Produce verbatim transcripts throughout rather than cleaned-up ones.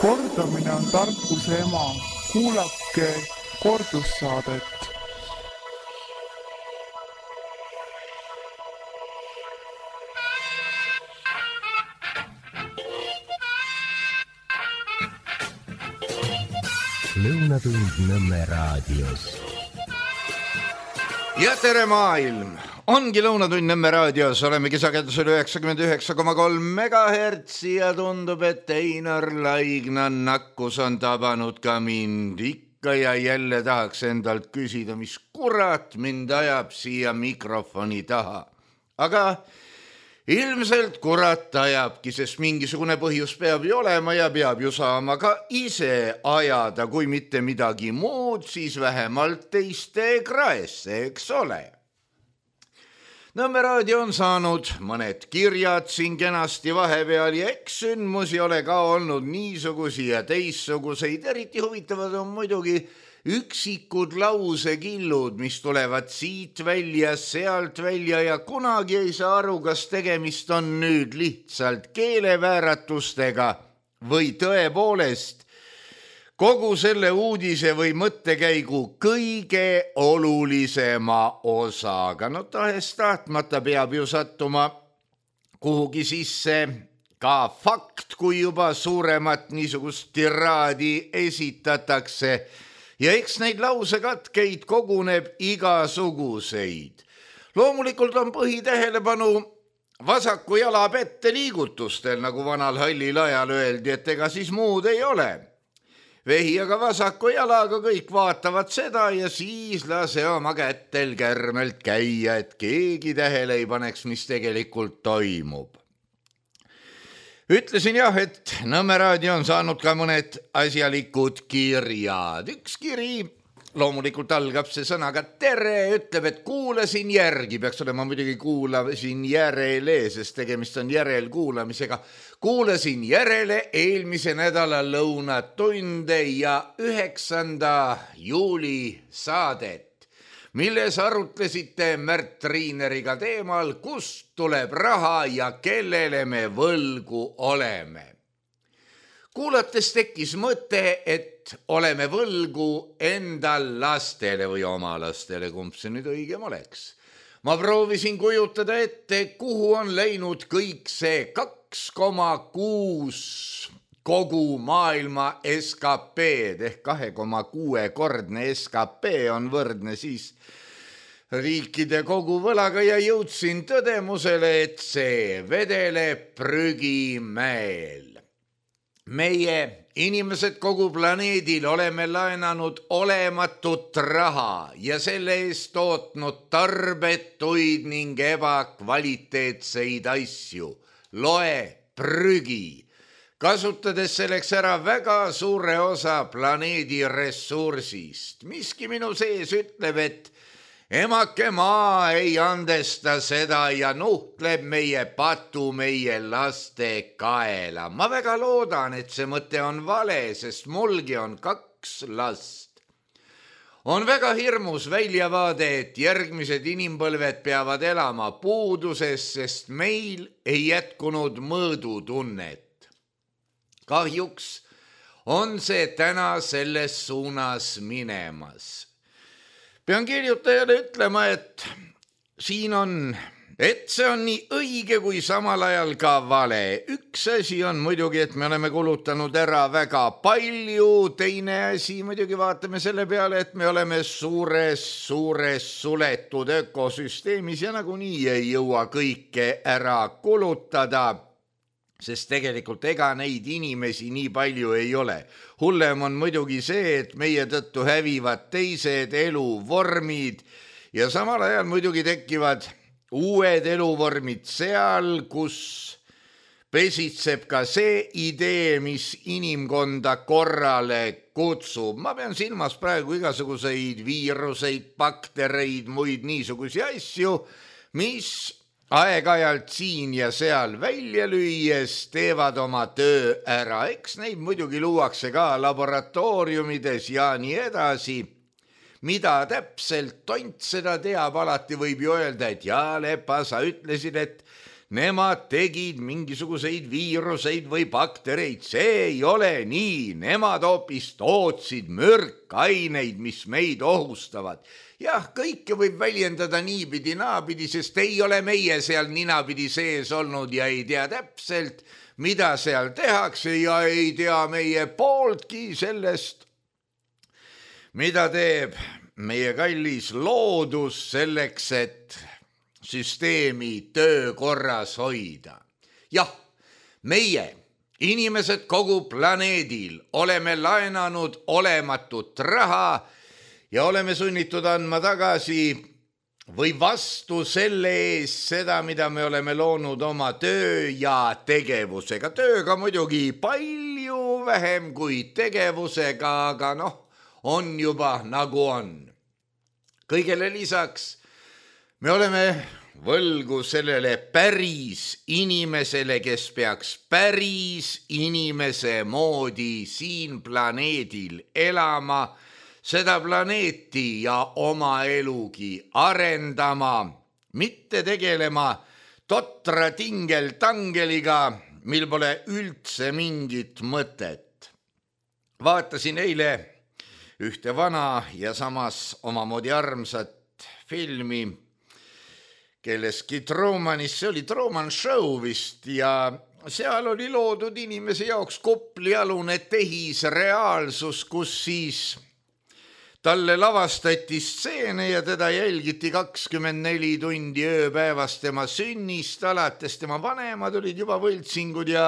Kordamine on tarkuse ema. Kuulake kordussaadet. Lõunatund Nõmme raadios. Ja tere maailm! Ongi Lõunatund Nõmme raadios, oleme kisakendusel üheksakümmend üheksa koma kolm megahertsi ja tundub, et Einar Laigna nakkus on tabanud ka mind. Ikka ja jälle tahaks endalt küsida, mis kurat mind ajab siia mikrofoni taha. Aga ilmselt kurat ajabki, sest mingisugune põhjus peab ju olema ja peab ju saama ka ise ajada, kui mitte midagi muud, siis vähemalt teiste kraesse, eks ole. Nõmme raadio on saanud mõned kirjad siin kenasti vahepeal ja eks sündmusi ole ka olnud niisugusi ja teissuguseid. Eriti huvitavad on muidugi üksikud lausekillud, mis tulevad siit välja, sealt välja ja kunagi ei saa aru, kas tegemist on nüüd lihtsalt keelevääratustega või tõepoolest kogu selle uudise või mõttekäigu kõige olulisema osaga. No tahes tahtmata peab ju sattuma kuhugi sisse ka fakt, kui juba suuremat niisugust tiraadi esitatakse. Ja eks neid lausekatkeid koguneb igasuguseid. Loomulikult on põhitähelepanu vasaku jala pette liigutustel, nagu vanal hallil ajal öeldi, et ega siis muud ei ole. Vehi aga vasaku jalaga kõik vaatavad seda ja siis lase oma kättel kärmelt käia, et keegi tähele ei paneks, mis tegelikult toimub. Ütlesin jah, et Nõmme raadio on saanud ka mõned asjalikud kirjad. Üks kiri, loomulikult algab see sõnaga tere, ütleb, et kuulasin järgi, peaks olema muidugi kuulasin järele, sest tegemist on järelkuulamisega. Kuulasin järele eelmise nädala lõunatunde ja üheksanda juuli saadet, milles arutlesite Märt Triineriga teemal, kust tuleb raha ja kellele me võlgu oleme. Kuulates tekkis mõte, et oleme võlgu endal lastele või oma lastele, kumb see nüüd õigem oleks. Ma proovisin kujutada ette, kuhu on läinud kõik see kaks koma kuus kogu maailma S K P-d ehk kahe koma kuue kordne S K P on võrdne siis riikide kogu võlaga ja jõudsin tõdemusele, et see vedeleb prügimäel. Meie inimesed kogu planeedil oleme laenanud olematut raha ja selle eest tootnud tarbetuid ning ebakvaliteetseid asju. Loe prügi. Kasutades selleks ära väga suure osa planeedi ressursist. Miski minu sees ütleb, et emake maa ei andesta seda ja nuhtleb meie patu meie laste kaela. Ma väga loodan, et see mõte on vale, sest mulgi on kaks last. On väga hirmus väljavaade, et järgmised inimpõlved peavad elama puuduses, sest meil ei jätkunud mõõdutunnet. Kahjuks on see täna selles suunas minemas. Pean kirjutajale ütlema, et siin on, et see on nii õige kui samal ajal ka vale. Üks asi on muidugi, et me oleme kulutanud ära väga palju. Teine asi muidugi vaatame selle peale, et me oleme suures, suures suletud ökosüsteemis ja nagunii ei jõua kõike ära kulutada. Sest tegelikult ega neid inimesi nii palju ei ole. Hullem on muidugi see, et meie tõttu hävivad teised eluvormid ja samal ajal muidugi tekivad uued eluvormid seal, kus pesitseb ka see idee, mis inimkonda korrale kutsub. Ma pean silmas praegu igasuguseid viiruseid, baktereid, muid niisugusi asju, mis aeg-ajalt siin ja seal välja lüües teevad oma töö ära. Eks neid muidugi luuakse ka laboratooriumides ja nii edasi. Mida täpselt tont seda teab, alati võib ju öelda, et jaa, Lepa, sa ütlesid, et nemad tegid mingisuguseid viiruseid või baktereid, see ei ole nii, nemad hoopis tootsid mürkaineid, mis meid ohustavad. Jah, kõike võib väljendada niipidi, naapidi, sest ei ole meie seal ninapidi sees olnud ja ei tea täpselt, mida seal tehakse ja ei tea meie pooltki sellest, mida teeb meie kallis loodus selleks, et süsteemi töökorras hoida. Jah, meie, inimesed kogu planeedil, oleme laenanud olematut raha ja oleme sunnitud andma tagasi või vastu selle ees seda, mida me oleme loonud oma töö ja tegevusega. Tööga muidugi palju vähem kui tegevusega, aga noh, on juba nagu on. Kõigele lisaks me oleme võlgu sellele päris inimesele, kes peaks päris inimese moodi siin planeedil elama, seda planeeti ja oma elugi arendama, mitte tegelema totra tingel-tangeliga, mil pole üldse mingit mõtet. Vaatasin eile ühte vana ja samas omamoodi armsat filmi, kelleski Trumanis, see oli Truman Show vist, ja seal oli loodud inimese jaoks koplialune tehisreaalsus, kus siis talle lavastati stseene ja teda jälgiti kakskümmend neli tundi ööpäevas tema sünnist, alates tema vanemad olid juba võltsingud ja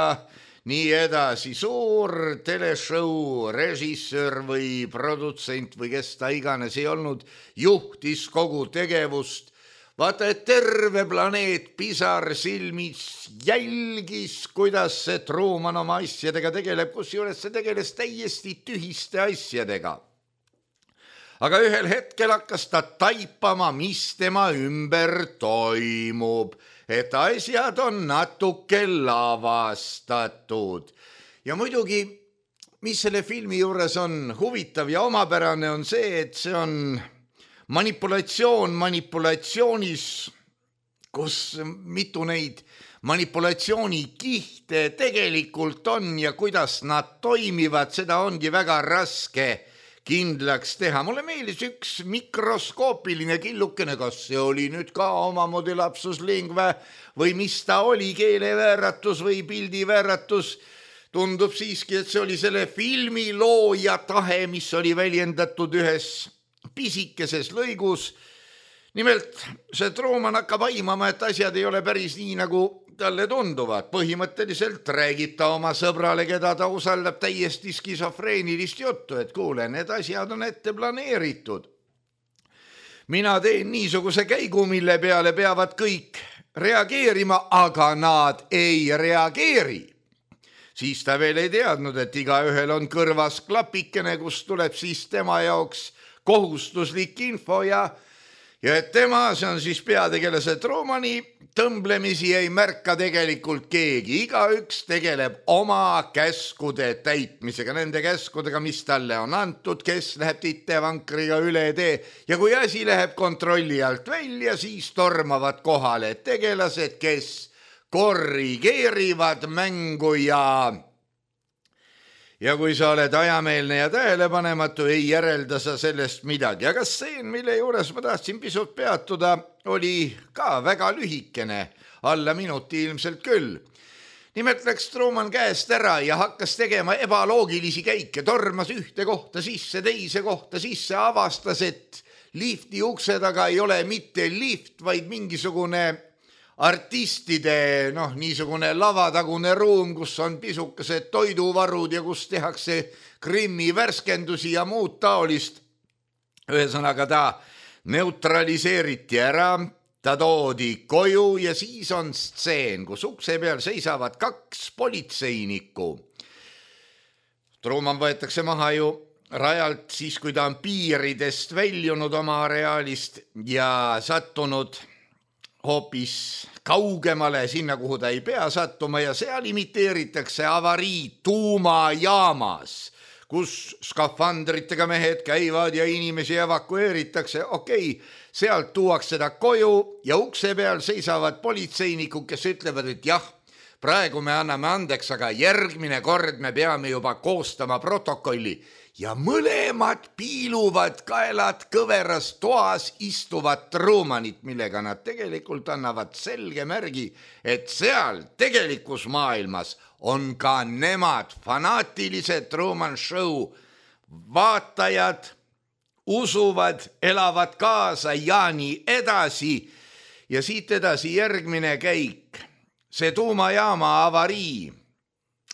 nii edasi. Suur teleshow, režissöör või produtsent või kes ta iganes ei olnud, juhtis kogu tegevust. Vaata, et terve planeet pisar silmis jälgis, kuidas see Truman oma asjadega tegeleb, kusjuures see tegeles täiesti tühiste asjadega. Aga ühel hetkel hakkas ta taipama, mis tema ümber toimub, et asjad on natuke lavastatud. Ja muidugi, mis selle filmi juures on huvitav ja omapärane, on see, et see on manipulatsioon manipulatsioonis, kus mitu neid manipulatsiooni-kihte tegelikult on ja kuidas nad toimivad, seda ongi väga raske kindlaks teha. Mulle meeldis üks mikroskoopiline killukene, kas see oli nüüd ka omamoodi lapsus lingve või mis ta oli, keelevääratus või pildivääratus. Tundub siiski, et see oli selle filmi looja tahe, mis oli väljendatud ühes pisikeses lõigus. Nimelt, see Truman hakkab aimama, et asjad ei ole päris nii, nagu talle tunduvad. Põhimõtteliselt räägib ta oma sõbrale, keda ta usaldab, täiesti skisofreenilist juttu, et kuule, need asjad on ette planeeritud. Mina teen niisuguse käigu, mille peale peavad kõik reageerima, aga nad ei reageeri. Siis ta veel ei teadnud, et igaühel on kõrvas klapikene, kus tuleb siis tema jaoks kohustuslik info ja Ja et tema, see on siis peategelase Trumani, tõmblemisi ei märka tegelikult keegi. Igaüks tegeleb oma käskude täitmisega, nende käskudega, mis talle on antud, kes läheb titevankriga üle tee. Ja kui asi läheb kontrolli alt välja, siis tormavad kohale tegelased, kes korrigeerivad mängu ja... Ja kui sa oled ajameelne ja tähelepanematu, ei järelda sa sellest midagi. Aga stseen, mille juures ma tahtsin pisut peatuda, oli ka väga lühikene, alla minuti ilmselt küll. Nimelt läks Truman käest ära ja hakkas tegema ebaloogilisi käike, tormas ühte kohta sisse, teise kohta sisse, avastas, et lifti ukse taga ei ole mitte lift, vaid mingisugune artistide, noh, niisugune lavatagune ruum, kus on pisukesed toiduvarud ja kus tehakse Krimmi värskendusi ja muud taolist. Ühesõnaga ta neutraliseeriti ära, ta toodi koju ja siis on stseen, kus ukse peal seisavad kaks politseinikku. Truman võetakse maha ju rajalt siis, kui ta on piiridest väljunud oma areaalist ja sattunud hoopis kaugemale sinna, kuhu ta ei pea sattuma ja seal imiteeritakse avarii tuumajaamas, kus skafandritega mehed käivad ja inimesi evakueeritakse, okei, sealt tuuakse seda koju ja ukse peal seisavad politseinikud, kes ütlevad, et jah, praegu me anname andeks, aga järgmine kord me peame juba koostama protokolli ja mõlemad piiluvad kaelad kõveras toas istuvad Trumanit, millega nad tegelikult annavad selge märgi, et seal tegelikus maailmas on ka nemad fanaatilised Truman Show vaatajad, usuvad, elavad kaasa ja nii edasi. Ja siit edasi järgmine käik. See tuumajaama avarii,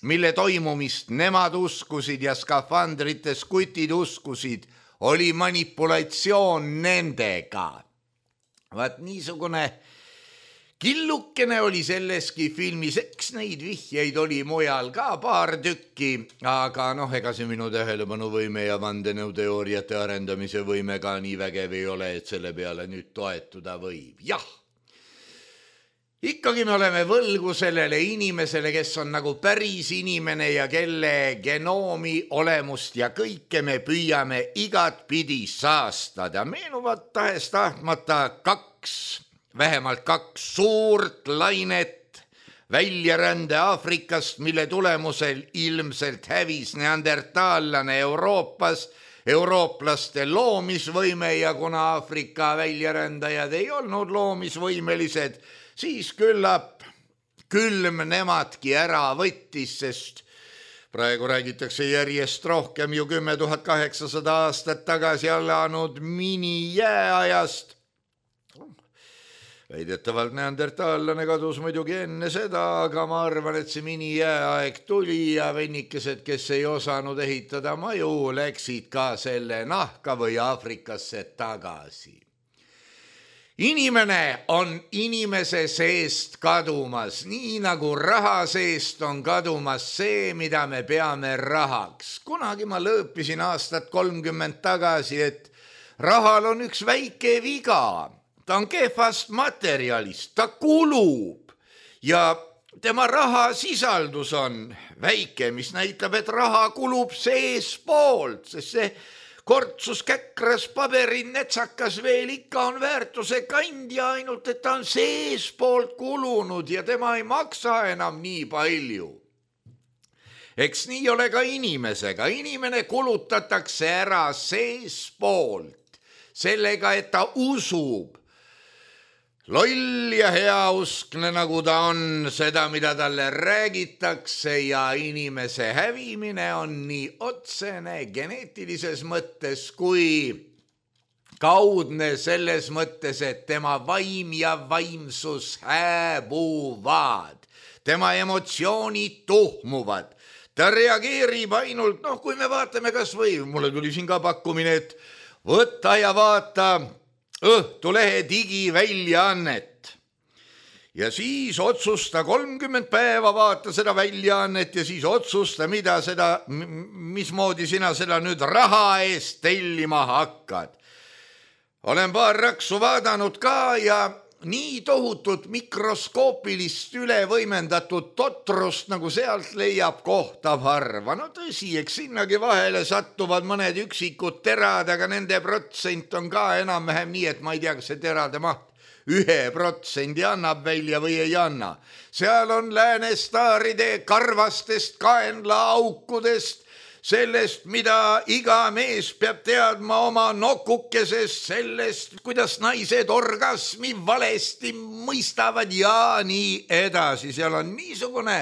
mille toimumist nemad uskusid ja skafandrites kutid uskusid, oli manipulatsioon nendega. Vaat niisugune killukene oli selleski filmis, eks neid vihjeid oli mujal ka paar tükki, aga noh, ega see minu tähelepanuvõime ja vandenõuteooriate arendamise võime ka nii vägev ei ole, et selle peale nüüd toetuda võib. Jah. Ikkagi me oleme võlgu sellele inimesele, kes on nagu päris inimene ja kelle genoomi olemust ja kõike me püüame igat pidi saastada. Meenuvad tahes tahtmata kaks, vähemalt kaks suurt lainet väljarände Aafrikast, mille tulemusel ilmselt hävis neandertaallane Euroopas, eurooplaste loomisvõime ja kuna Aafrika väljarändajad ei olnud loomisvõimelised, siis küllap külm nemadki ära võttis, sest praegu räägitakse järjest rohkem ju kümme tuhat kaheksasada aastat tagasi alanud minijääajast. Väidetavalt neandertaallane kadus muidugi enne seda, aga ma arvan, et see minijääaeg tuli ja vennikesed, kes ei osanud ehitada maju, läksid ka selle nahka või Aafrikasse tagasi. Inimene on inimese seest kadumas, nii nagu raha seest on kadumas see, mida me peame rahaks. Kunagi ma lõõpisin aastat kolmkümmend tagasi, et rahal on üks väike viga. Ta on kehvast materjalist, ta kulub ja tema raha sisaldus on väike, mis näitab, et raha kulub sees poolt, sest see kortsus, käkras, paberi, netsakas veel ikka on väärtuse kandja, ainult et ta on sees poolt kulunud ja tema ei maksa enam nii palju. Eks nii ole ka inimesega. Inimene kulutatakse ära sees poolt sellega, et ta usub. Loll ja heauskne, nagu ta on, seda, mida talle räägitakse ja inimese hävimine on nii otsene geneetilises mõttes kui kaudne selles mõttes, et tema vaim ja vaimsus hääbuvad. Tema emotsioonid tuhmuvad. Ta reageerib ainult, noh, kui me vaatame kas või, mulle tuli siin ka pakkumine, et võtta ja vaata Õhtulehe digiväljaannet ja siis otsusta kolmkümmend päeva vaata seda väljaannet ja siis otsusta, mida seda, mismoodi sina seda nüüd raha eest tellima hakkad. Olen paar raksu vaadanud ka ja nii tohutut mikroskoopilist ülevõimendatud totrust, nagu sealt leiab kohta harva. No tõsi, eks sinnagi vahele sattuvad mõned üksikud terad, aga nende protsent on ka enam-vähem nii, et ma ei tea, kas see terade maht ühe protsendi annab välja või ei anna. Seal on läänestaaride karvastest kaenlaaukudest, sellest, mida iga mees peab teadma oma nokukesest, sellest, kuidas naised orgasmi valesti mõistavad ja nii edasi. Seal on niisugune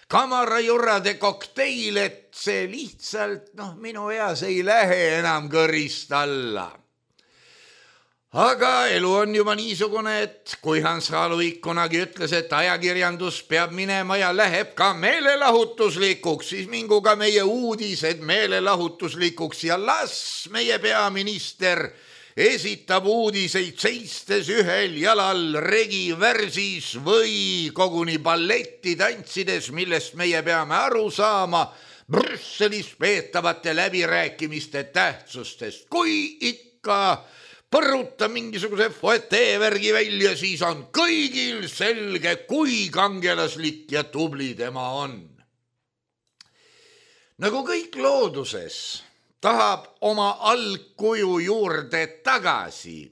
kamarajurrade kokteil, et see lihtsalt, noh, minu eas ei lähe enam kõrist alla. Aga elu on juba niisugune, et kui Hans Haluik kunagi ütles, et ajakirjandus peab minema ja läheb ka meelelahutuslikuks, siis mingu ka meie uudised meelelahutuslikuks ja las meie peaminister esitab uudiseid seistes ühel jalal regivärsis või koguni balletti tantsides, millest meie peame aru saama Brüsselis peetavate läbirääkimiste tähtsustest. Kui ikka põruta mingisuguse foeteevärgi välja, siis on kõigil selge, kui kangelaslik ja tubli tema on. nagu kõik looduses tahab oma algkuju juurde tagasi.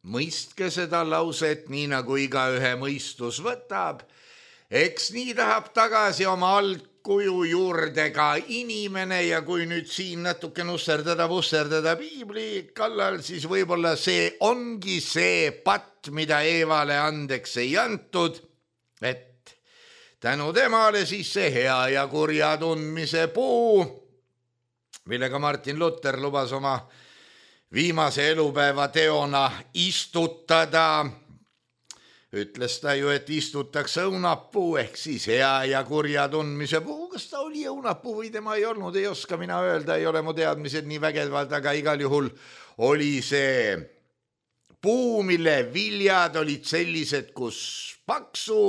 Mõistke seda lauset nii nagu igaühe mõistus võtab. Eks nii tahab tagasi oma algkuju juurde ka inimene ja kui nüüd siin natuke nusserdada, vusserdada piibli kallal, siis võib-olla see ongi see patt, mida Eevale andeks ei antud, et tänu temale siis see hea ja kurja tundmise puu, millega Martin Luther lubas oma viimase elupäeva teona istutada. Ütles ta ju, et istutakse õunapuu ehk siis hea ja kurja tundmise puu. Kas ta oli õunapuu või tema ei olnud, ei oska mina öelda, ei ole mu teadmised nii vägevad, aga igal juhul oli see puu, mille viljad olid sellised, kus paksu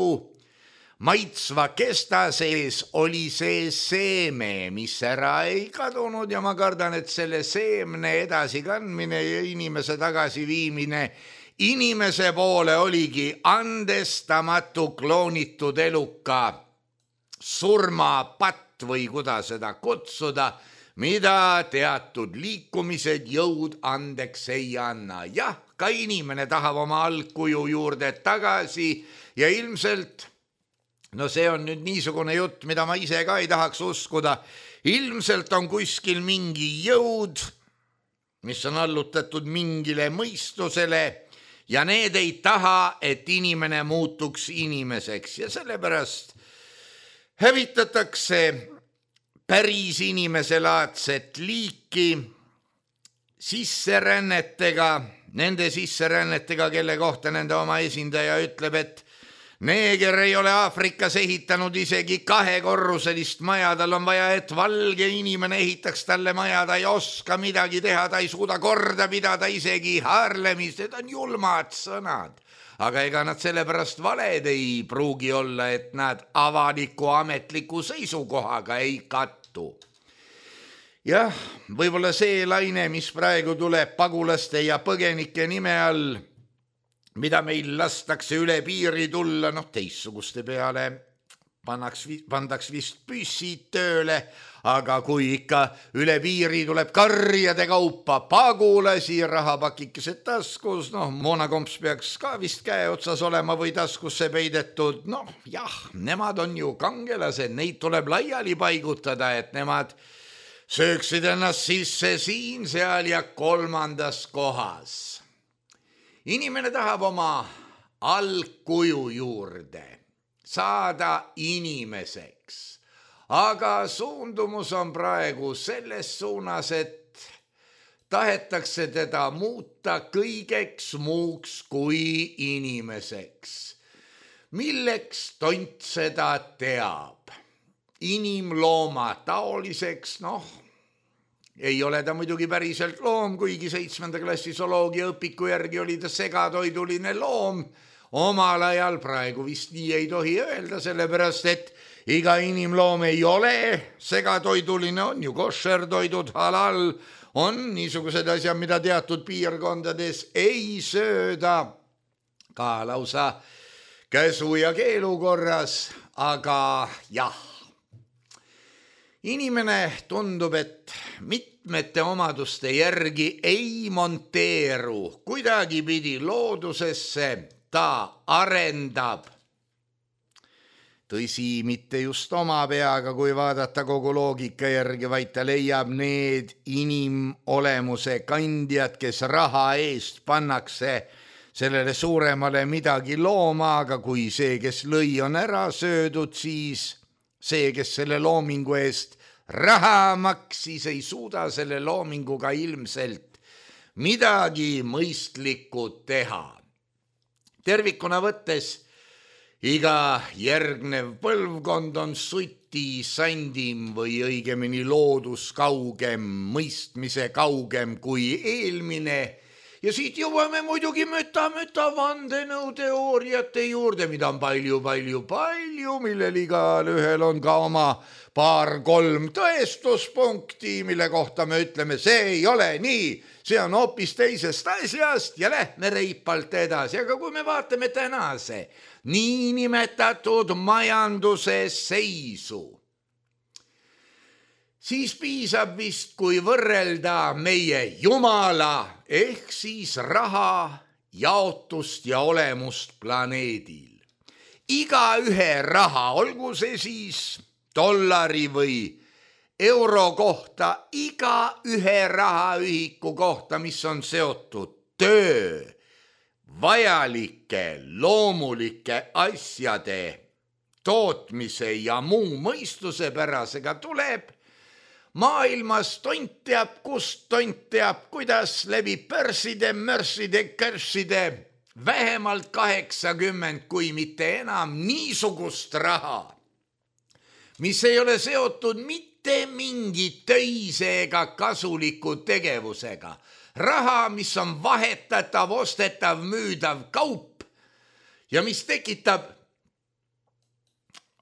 maitsva kesta sees oli see seeme, mis ära ei kadunud ja ma kardan, et selle seemne edasikandmine ja inimese tagasiviimine inimese poole oligi andestamatu kloonitud eluka surmapatt või kuidas seda kutsuda, mida teatud liikumised jõud andeks ei anna. Jah, ka inimene tahab oma algkuju juurde tagasi ja ilmselt no see on nüüd niisugune jutt, mida ma ise ka ei tahaks uskuda. Ilmselt on kuskil mingi jõud, mis on allutatud mingile mõistusele ja need ei taha, et inimene muutuks inimeseks ja sellepärast hävitatakse päris inimeselaadset liiki sisserännetega, nende sisserännetega, kelle kohta nende oma esindaja ütleb, et neeger ei ole Aafrikas ehitanud isegi kahekorruselist maja, tal on vaja, et valge inimene ehitaks talle maja, ta ei oska midagi teha, ta ei suuda korda pidada isegi haarlemist, need on julmad sõnad. Aga ega nad sellepärast valed ei pruugi olla, et nad avaliku ametliku seisukohaga ei kattu. Jah, võib-olla see laine, mis praegu tuleb pagulaste ja põgenike nime all, mida meil lastakse üle piiri tulla, noh teistsuguste peale pannaks, pandaks vist püssid tööle, aga kui ikka üle piiri tuleb karjade kaupa pagulasi, rahapakikesed taskus, noh moonakomps peaks ka vist käe otsas olema või taskusse peidetud, noh jah, nemad on ju kangelased, neid tuleb laiali paigutada, et nemad sööksid ennast sisse siin, seal ja kolmandas kohas. Inimene tahab oma algkuju juurde saada inimeseks, aga suundumus on praegu selles suunas, et tahetakse teda muuta kõigeks muuks kui inimeseks. Milleks tont seda teab? Inimlooma taoliseks, noh, ei ole ta muidugi päriselt loom, kuigi seitsmenda klassi zooloogia õpiku järgi oli ta segatoiduline loom. Omal ajal praegu vist nii ei tohi öelda, sellepärast et iga inimloom ei ole segatoiduline, on ju koššertoidud, halal, on niisugused asjad, mida teatud piirkondades ei sööda, ka lausa käsu ja keelu korras, aga jah. Inimene tundub, et mitmete omaduste järgi ei monteeru kuidagipidi loodusesse, ta arendab. Tõsi, mitte just oma peaga, kui vaadata kogu loogika järgi, vaid ta leiab need inimolemuse kandjad, kes raha eest pannakse sellele suuremale midagi looma, aga kui see, kes lõi, on ära söödud, siis see, kes selle loomingu eest raha maksis, ei suuda selle loominguga ilmselt midagi mõistlikku teha. Tervikuna võttes iga järgnev põlvkond on suti sandim või õigemini loodus kaugem, mõistmise kaugem kui eelmine. Ja siit jõuame muidugi müta-müta vandenõuteooriate juurde, mida on palju, palju, palju, millel igal ühel on ka oma paar-kolm tõestuspunkti, mille kohta me ütleme, see ei ole nii, see on hoopis teisest asjast ja lähme reipalt edasi. Aga kui me vaatame tänase niinimetatud majanduse seisu, siis piisab vist, kui võrrelda meie Jumala ehk siis raha jaotust ja olemust planeedil. Iga ühe raha, olgu see siis dollari või euro kohta, iga ühe rahaühiku kohta, mis on seotud töö, vajalike, loomulike asjade tootmise ja muu mõistusepärasega tuleb maailmas tont teab, kust tont teab, kuidas läbi pörside, mörside, körside vähemalt kaheksakümmend, kui mitte enam niisugust raha, mis ei ole seotud mitte mingi töise ega kasuliku tegevusega. Raha, mis on vahetatav, ostetav, müüdav kaup ja mis tekitab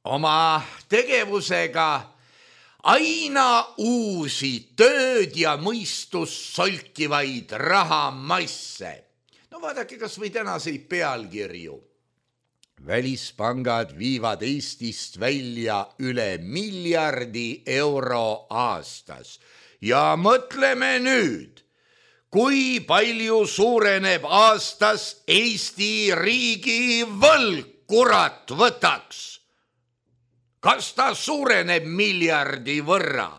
oma tegevusega aina uusi tööd ja mõistust solkivaid rahamasse. No vaadake kas või tänaseid pealkirju. Välispangad viivad Eestist välja üle miljardi euro aastas. Ja mõtleme nüüd, kui palju suureneb aastas Eesti riigi võlg, kurat võtaks. Kas ta suureneb miljardi võrra?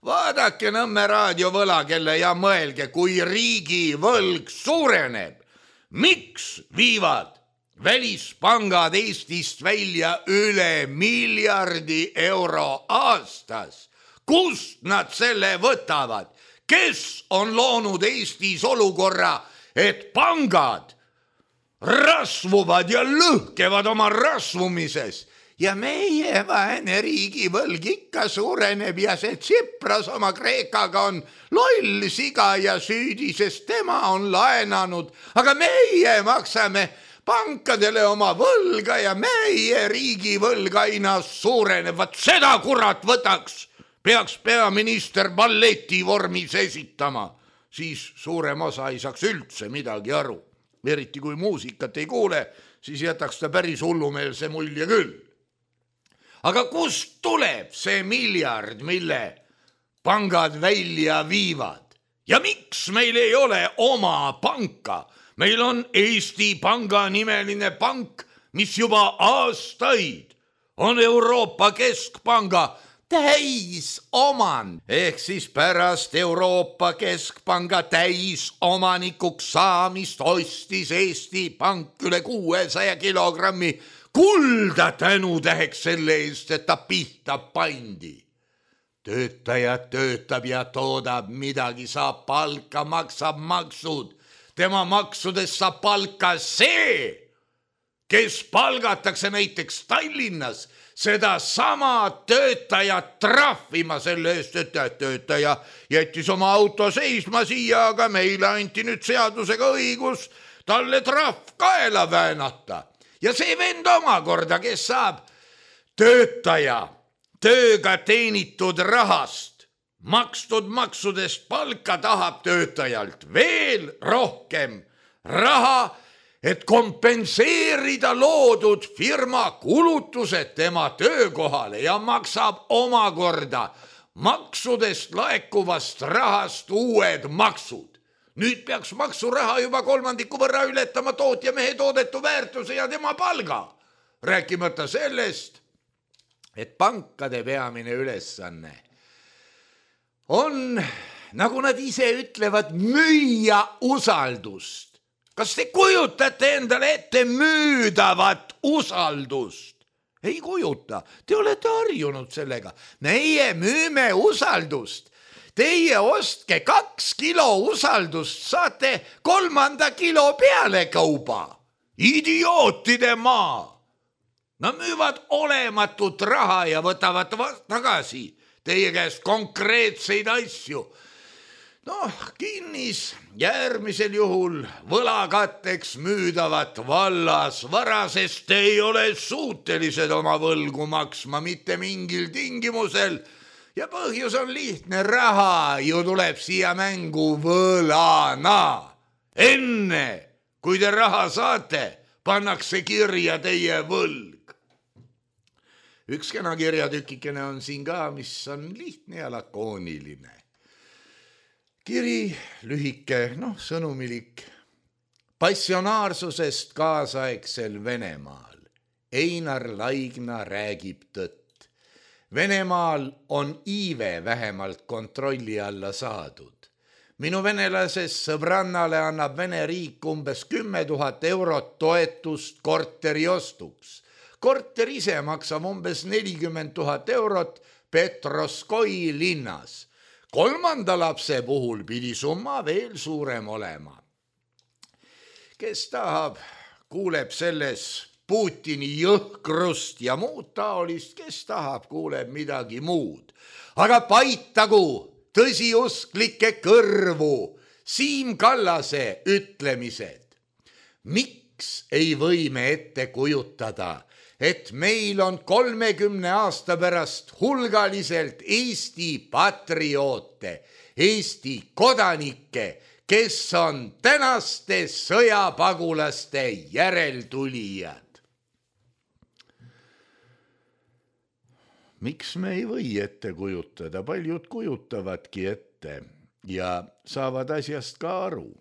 Vaadake Nõmme raadio võlakelle ja mõelge, kui riigi võlg suureneb. Miks viivad välispangad Eestist välja üle miljardi euro aastas? Kust nad selle võtavad? Kes on loonud Eestis olukorra, et pangad rasvuvad ja lõhkevad oma rasvumises? Ja meie vaene riigivõlg ikka suureneb ja see Tsipras oma Kreekaga on loll siga ja süüdi, sest tema on laenanud. Aga meie maksame pankadele oma võlga ja meie riigivõlg aina suureneb. Vaat seda kurat võtaks, peaks peaminister balleti vormis esitama. Siis suurem osa ei saaks üldse midagi aru. Eriti kui muusikat ei kuule, siis jätaks ta päris hullumeelse mulje küll. Aga kust tuleb see miljard, mille pangad välja viivad? Ja miks meil ei ole oma panka? Meil on Eesti Panga nimeline pank, mis juba aastaid on Euroopa Keskpanga täisoman. Ehk siis pärast Euroopa Keskpanga täisomanikuks saamist ostis Eesti Pank üle kuuesaja kilogrammi kulda tänutäheks selle eest, et ta pihta pandi. Töötaja töötab ja toodab midagi, saab palka, maksab maksud. Tema maksudest saab palka see, kes palgatakse näiteks Tallinnas, seda sama töötajat trahvima selle eest, et töötaja jättis oma auto seisma siia, aga meile anti nüüd seadusega õigus talle trahv kaela väänata. Ja see vend omakorda, kes saab töötaja tööga teenitud rahast, makstud maksudest palka, tahab töötajalt veel rohkem raha, et kompenseerida loodud firma kulutused tema töökohale ja maksab omakorda maksudest laekuvast rahast uued maksud. Nüüd peaks maksuraha juba kolmandiku võrra ületama tootja mehe toodetu väärtuse ja tema palga. Rääkimata sellest, et pankade peamine ülesanne on, nagu nad ise ütlevad, müüa usaldust. Kas te kujutate endale ette müüdavat usaldust? Ei kujuta, te olete harjunud sellega. Meie müüme usaldust. Teie ostke kaks kilo usaldust, saate kolmanda kilo peale kauba. Idiootide maa. Nad müüvad olematut raha ja võtavad tagasi teie käest konkreetseid asju. Noh, kinnis järgmisel juhul võlakatteks müüdavat vallas vara, sest te ei ole suutelised oma võlgu maksma mitte mingil tingimusel. Ja põhjus on lihtne, raha ju tuleb siia mängu võlana. Enne, kui te raha saate, pannakse kirja teie võlg. üks kena kirjatükikene on siin ka, mis on lihtne ja lakooniline. Kiri lühike, noh, sõnumilik. Passionaarsusest kaasaegsel Venemaal. Einar Laigna räägib tõtt. Venemaal on iive vähemalt kontrolli alla saadud. Minu venelases sõbrannale annab Vene riik umbes kümme tuhat eurot toetust korteri ostuks. Korter ise maksab umbes nelikümmend tuhat eurot Petroskoi linnas. Kolmanda lapse puhul pidi summa veel suurem olema. Kes tahab, kuuleb selles Putini jõhkrust ja muud taolist, kes tahab, kuuleb midagi muud. Aga paitagu tõsiusklikke kõrvu Siim Kallase ütlemised. Miks ei või me ette kujutada, et meil on kolmekümne aasta pärast hulgaliselt Eesti patrioote, Eesti kodanikke, kes on tänaste sõjapagulaste järeltulijad? Miks me ei või ette kujutada? Paljud kujutavadki ette ja saavad asjast ka aru.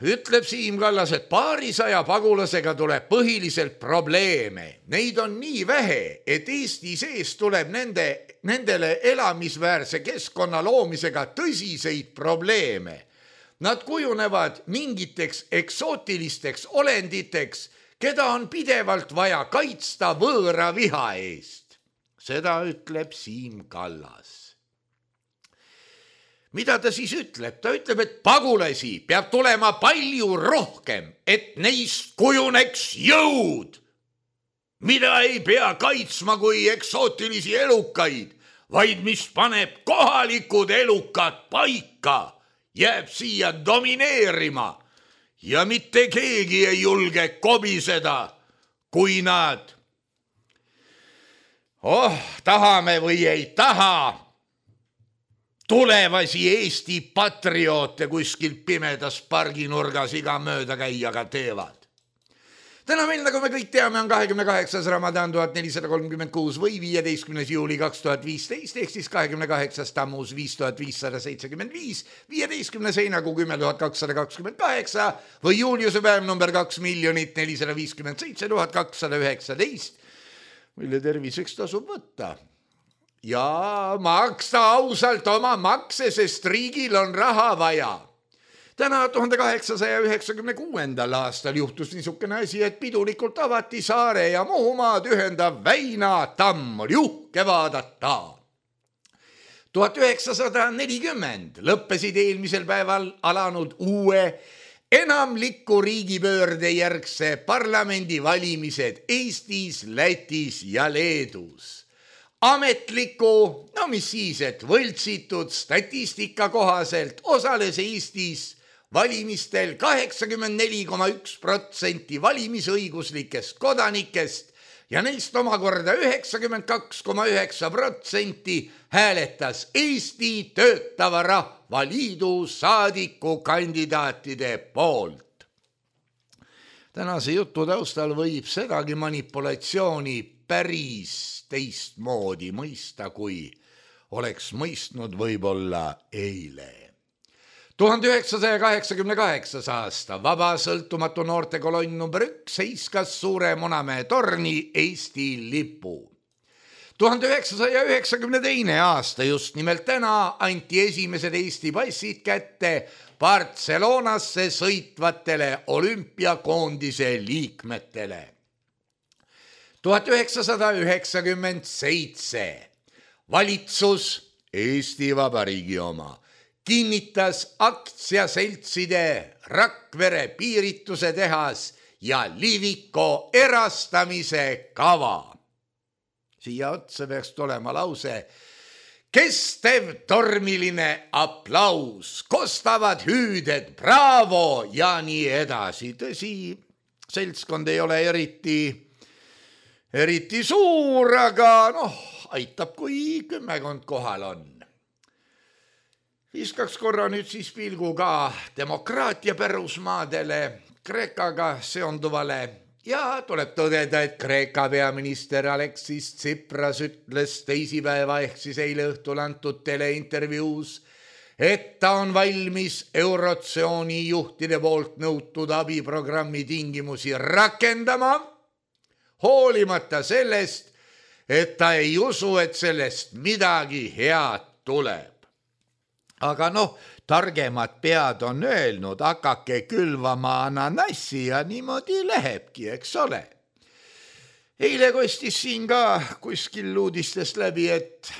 Ütleb Siim Kallas, et paarisaja pagulasega tuleb põhiliselt probleeme. Neid on nii vähe, et Eesti sees tuleb nende, nendele elamisväärse keskkonna loomisega tõsiseid probleeme. Nad kujunevad mingiteks eksootilisteks olenditeks, keda on pidevalt vaja kaitsta võõra viha eest. Seda ütleb Siim Kallas. Mida ta siis ütleb? Ta ütleb, et pagulasi peab tulema palju rohkem, et neist kujuneks jõud, mida ei pea kaitsma kui eksootilisi elukaid, vaid mis paneb kohalikud elukad paika, jääb siia domineerima ja mitte keegi ei julge kobiseda, kui nad oh, tahame või ei taha tulevasi Eesti patrioote kuskil pimedas parginurgas iga mööda käijaga teevad. Täna meil, nagu me kõik teame, on kahekümne kaheksas Ramadan tuhat nelisada kolmkümmend kuus või viieteistkümnes juuli kaks tuhat viisteist, ehk siis kahekümne kaheksas Tammuz viis tuhat viissada seitsekümmend viis, viieteistkümnes heinakuu kümme tuhat kakssada kakskümmend kaheksa või juuliuse päev number kaks miljonit nelisada viiskümmend seitse tuhat kakssada üheksateist, mille terviseks tasub võtta. Ja maksta ausalt oma makse, sest riigil on raha vaja. Täna tuhande kaheksasaja üheksakümne kuuendal aastal juhtus niisugune asi, et pidulikult avati Saare ja Muhumaad ühendav Väina tamm, oli uhke vaadata. tuhat üheksasada nelikümmend lõppesid eelmisel päeval alanud uue enamliku riigipöörde järgse parlamendivalimised Eestis, Lätis ja Leedus. Ametliku, no mis siis, et võltsitud statistika kohaselt osales Eestis valimistel kaheksakümmend neli koma üks protsenti valimisõiguslikest kodanikest ja neist omakorda üheksakümmend kaks koma üheksa protsenti hääletas Eesti Töötava Rahvaliidu saadikukandidaatide poolt. Tänase jutu taustal võib sedagi manipulatsiooni päris teistmoodi mõista, kui oleks mõistnud võib-olla eile. tuhande üheksasaja kaheksakümne kaheksas aasta vaba sõltumatu noortekolonn number üks heiskas Suure Munamäe torni Eesti lipu. tuhande üheksasaja üheksakümne teine aasta, just nimelt täna, anti esimesed Eesti passid kätte Barcelonasse sõitvatele olümpiakoondise liikmetele. tuhat üheksasada üheksakümmend seitse valitsus, Eesti Vabariigi oma, kinnitas aktsiaseltside Rakvere piirituse tehas ja Liviko erastamise kava. Siia otsa peaks tulema lause: kestev tormiline aplaus, kostavad hüüded, bravo ja nii edasi. Tõsi, seltskond ei ole eriti Eriti suur, aga noh, aitab, kui kümmekond kohal on. Viskaks korra nüüd siis pilgu ka demokraatia pärusmaadele, Kreekaga seonduvale Ja tuleb tõdeda, et Kreeka peaminister Alexis Tsipras ütles teisipäeva ehk siis eile õhtul antud teleintervjuus, et ta on valmis Eurotsooni juhtide poolt nõutud abiprogrammi tingimusi rakendama, hoolimata sellest, et ta ei usu, et sellest midagi head tuleb. Aga noh, targemad pead on öelnud, hakake külvama ananassi ja niimoodi lähebki, eks ole. Eile kostis siin ka kuskil uudistest läbi, et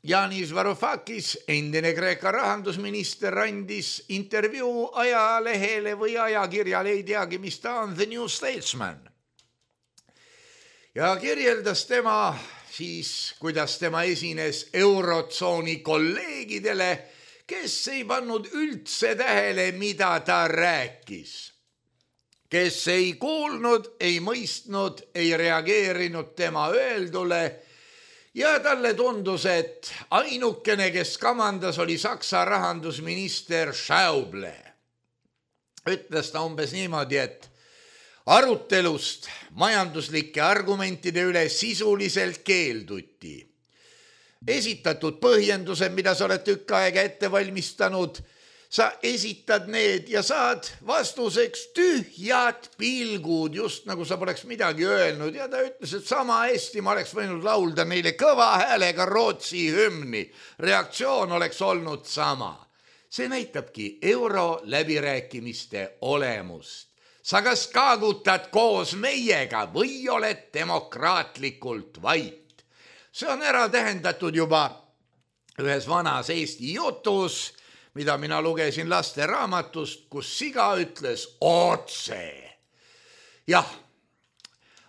Yanis Varoufakis, endine Kreeka rahandusminister, andis intervjuu ajalehele või ajakirjale, ei teagi, mis ta on, The New Statesman. Ja kirjeldas tema siis, kuidas tema esines Eurotsooni kolleegidele, kes ei pannud üldse tähele, mida ta rääkis. Kes ei kuulnud, ei mõistnud, ei reageerinud tema öeldule ja talle tundus, et ainukene, kes kamandas, oli Saksa rahandusminister Schäuble. Ütles ta umbes niimoodi, et arutelust majanduslike argumentide üle sisuliselt keelduti. Esitatud põhjendused, mida sa oled tükk aega ette valmistanud, sa esitad need ja saad vastuseks tühjad pilgud, just nagu sa poleks midagi öelnud. Ja ta ütles, et sama hästi ma oleks võinud laulda neile kõva häälega Rootsi hümni. Reaktsioon oleks olnud sama. See näitabki euro läbirääkimiste olemust. Sa kas kaagutad koos meiega või oled demokraatlikult vait. See on ära tähendatud juba ühes vanas Eesti jutus, mida mina lugesin laste raamatust, kus siga ütles otse. Jah,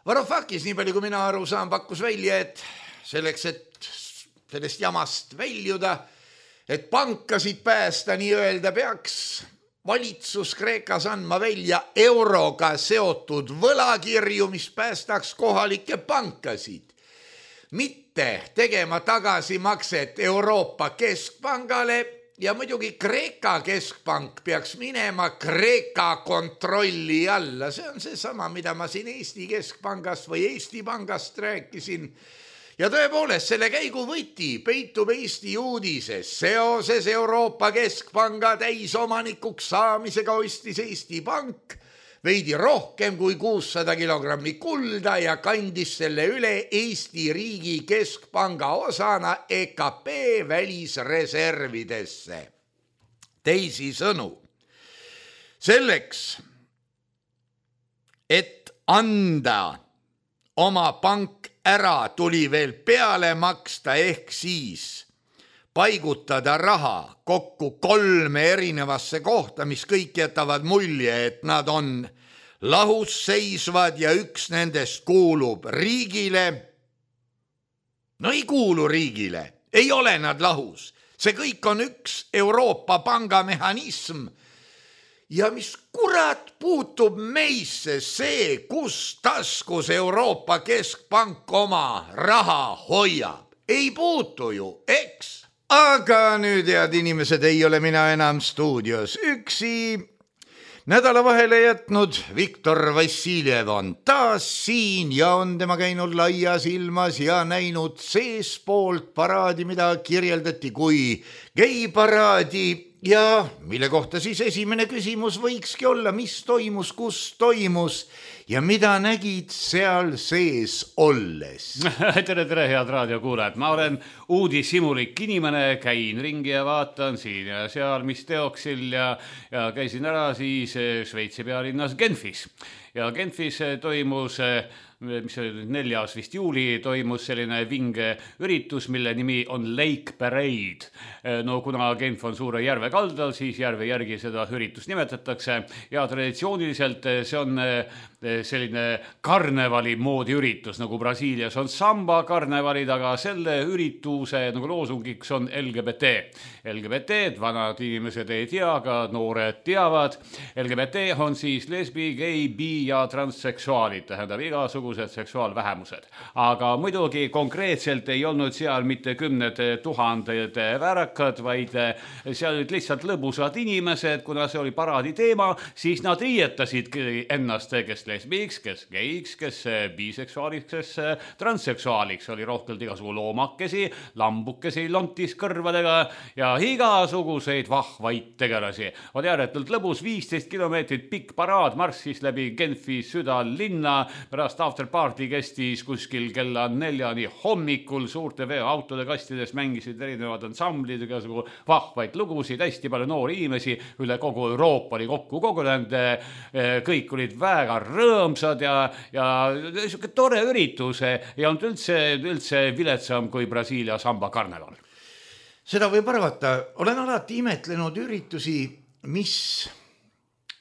Varoufakis, nii palju kui mina aru saan, pakkus välja, et selleks, et sellest jamast väljuda, et pankasid päästa nii-öelda, peaks valitsus Kreekas andma välja euroga seotud võlakirju, mis päästaks kohalikke pankasid. Mitte tegema tagasimakset Euroopa Keskpangale ja muidugi Kreeka keskpank peaks minema Kreeka kontrolli alla. See on see sama, mida ma siin Eesti Keskpangast või Eesti Pangast rääkisin. Ja tõepoolest, selle käigu võti peitub Eesti uudises. Seoses Euroopa Keskpanga täisomanikuks saamisega ostis Eesti Pank veidi rohkem kui kuussada kilogrammi kulda ja kandis selle üle Eesti riigi keskpanga osana E K P välisreservidesse. Teisisõnu, selleks, et anda oma pank ära, tuli veel peale maksta ehk siis paigutada raha kokku kolme erinevasse kohta, mis kõik jätavad mulje, et nad on lahus seisvad ja üks nendest kuulub riigile. No ei kuulu riigile, ei ole nad lahus. See kõik on üks Euroopa pangamehhanism. Ja mis kurat puutub meisse see, kus taskus Euroopa Keskpank oma raha hoiab? Ei puutu ju, eks? Aga nüüd, head inimesed, ei ole mina enam stuudios üksi. Nädala vahele jätnud Viktor Vassiljev on taas siin ja on tema käinud laias ilmas ja näinud seespoolt paraadi, mida kirjeldati kui geiparaadi ja mille kohta siis esimene küsimus võikski olla, mis toimus, kus toimus ja mida nägid seal sees olles? tere, tere, head raadiokuulajad. Ma olen uudishimulik inimene, käin ringi ja vaatan siin ja seal, mis teoksil ja, ja käisin ära siis Šveitsi pealinnas Genfis. Ja Genfis toimus, mis oli neljas vist juuli, toimus selline vinge üritus, mille nimi on Lake Parade. No kuna Genf on suure järve kaldal, siis järve järgi seda üritust nimetatakse ja traditsiooniliselt see on selline karnevali moodi üritus, nagu Brasiilias on samba karnevalid, aga selle ürituse nagu loosungiks on L G B T. L G B T, vanad inimesed ei tea, aga noored teavad. L G B T on siis lesbi, gei, bi ja transseksuaalid, tähendab igasugused seksuaalvähemused. Aga muidugi konkreetselt ei olnud seal mitte kümned tuhanded värakad, vaid seal olid lihtsalt lõbusad inimesed, kuna see oli paraadi teema, siis nad riietasid ennast, kes lesbiks, kes geiks, kes biseksuaaliks, kes transseksuaaliks, oli rohkelt igasugu loomakesi, lambukesi lontis kõrvadega ja igasuguseid vahvaid tegelasi. Oli ääretult lõbus, viisteist kilomeetrit pikk paraad marssis läbi Genfi südalinna, pärast afterparty kestis kuskil kella neljani hommikul, suurte veoautode kastides mängisid erinevad ansamblid, igasugu vahvaid lugusid, hästi palju noori inimesi, üle kogu Euroopa oli kokku kogunenud, kõik olid väga rõõmsad ja, ja niisugune tore üritus ja on üldse, üldse viletsam kui Brasiilia samba karneval. Seda võib arvata, olen alati imetlenud üritusi, mis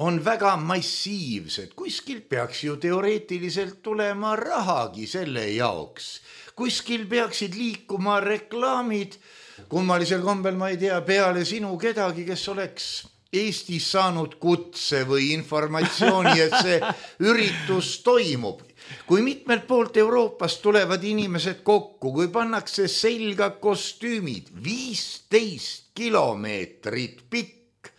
on väga massiivsed, kuskil peaks ju teoreetiliselt tulema rahagi selle jaoks, kuskil peaksid liikuma reklaamid, kummalisel kombel ma ei tea peale sinu kedagi, kes oleks Eestis saanud kutse või informatsiooni, et see üritus toimub. Kui mitmelt poolt Euroopast tulevad inimesed kokku, kui pannakse selga kostüümid, viisteist kilomeetrit pikk,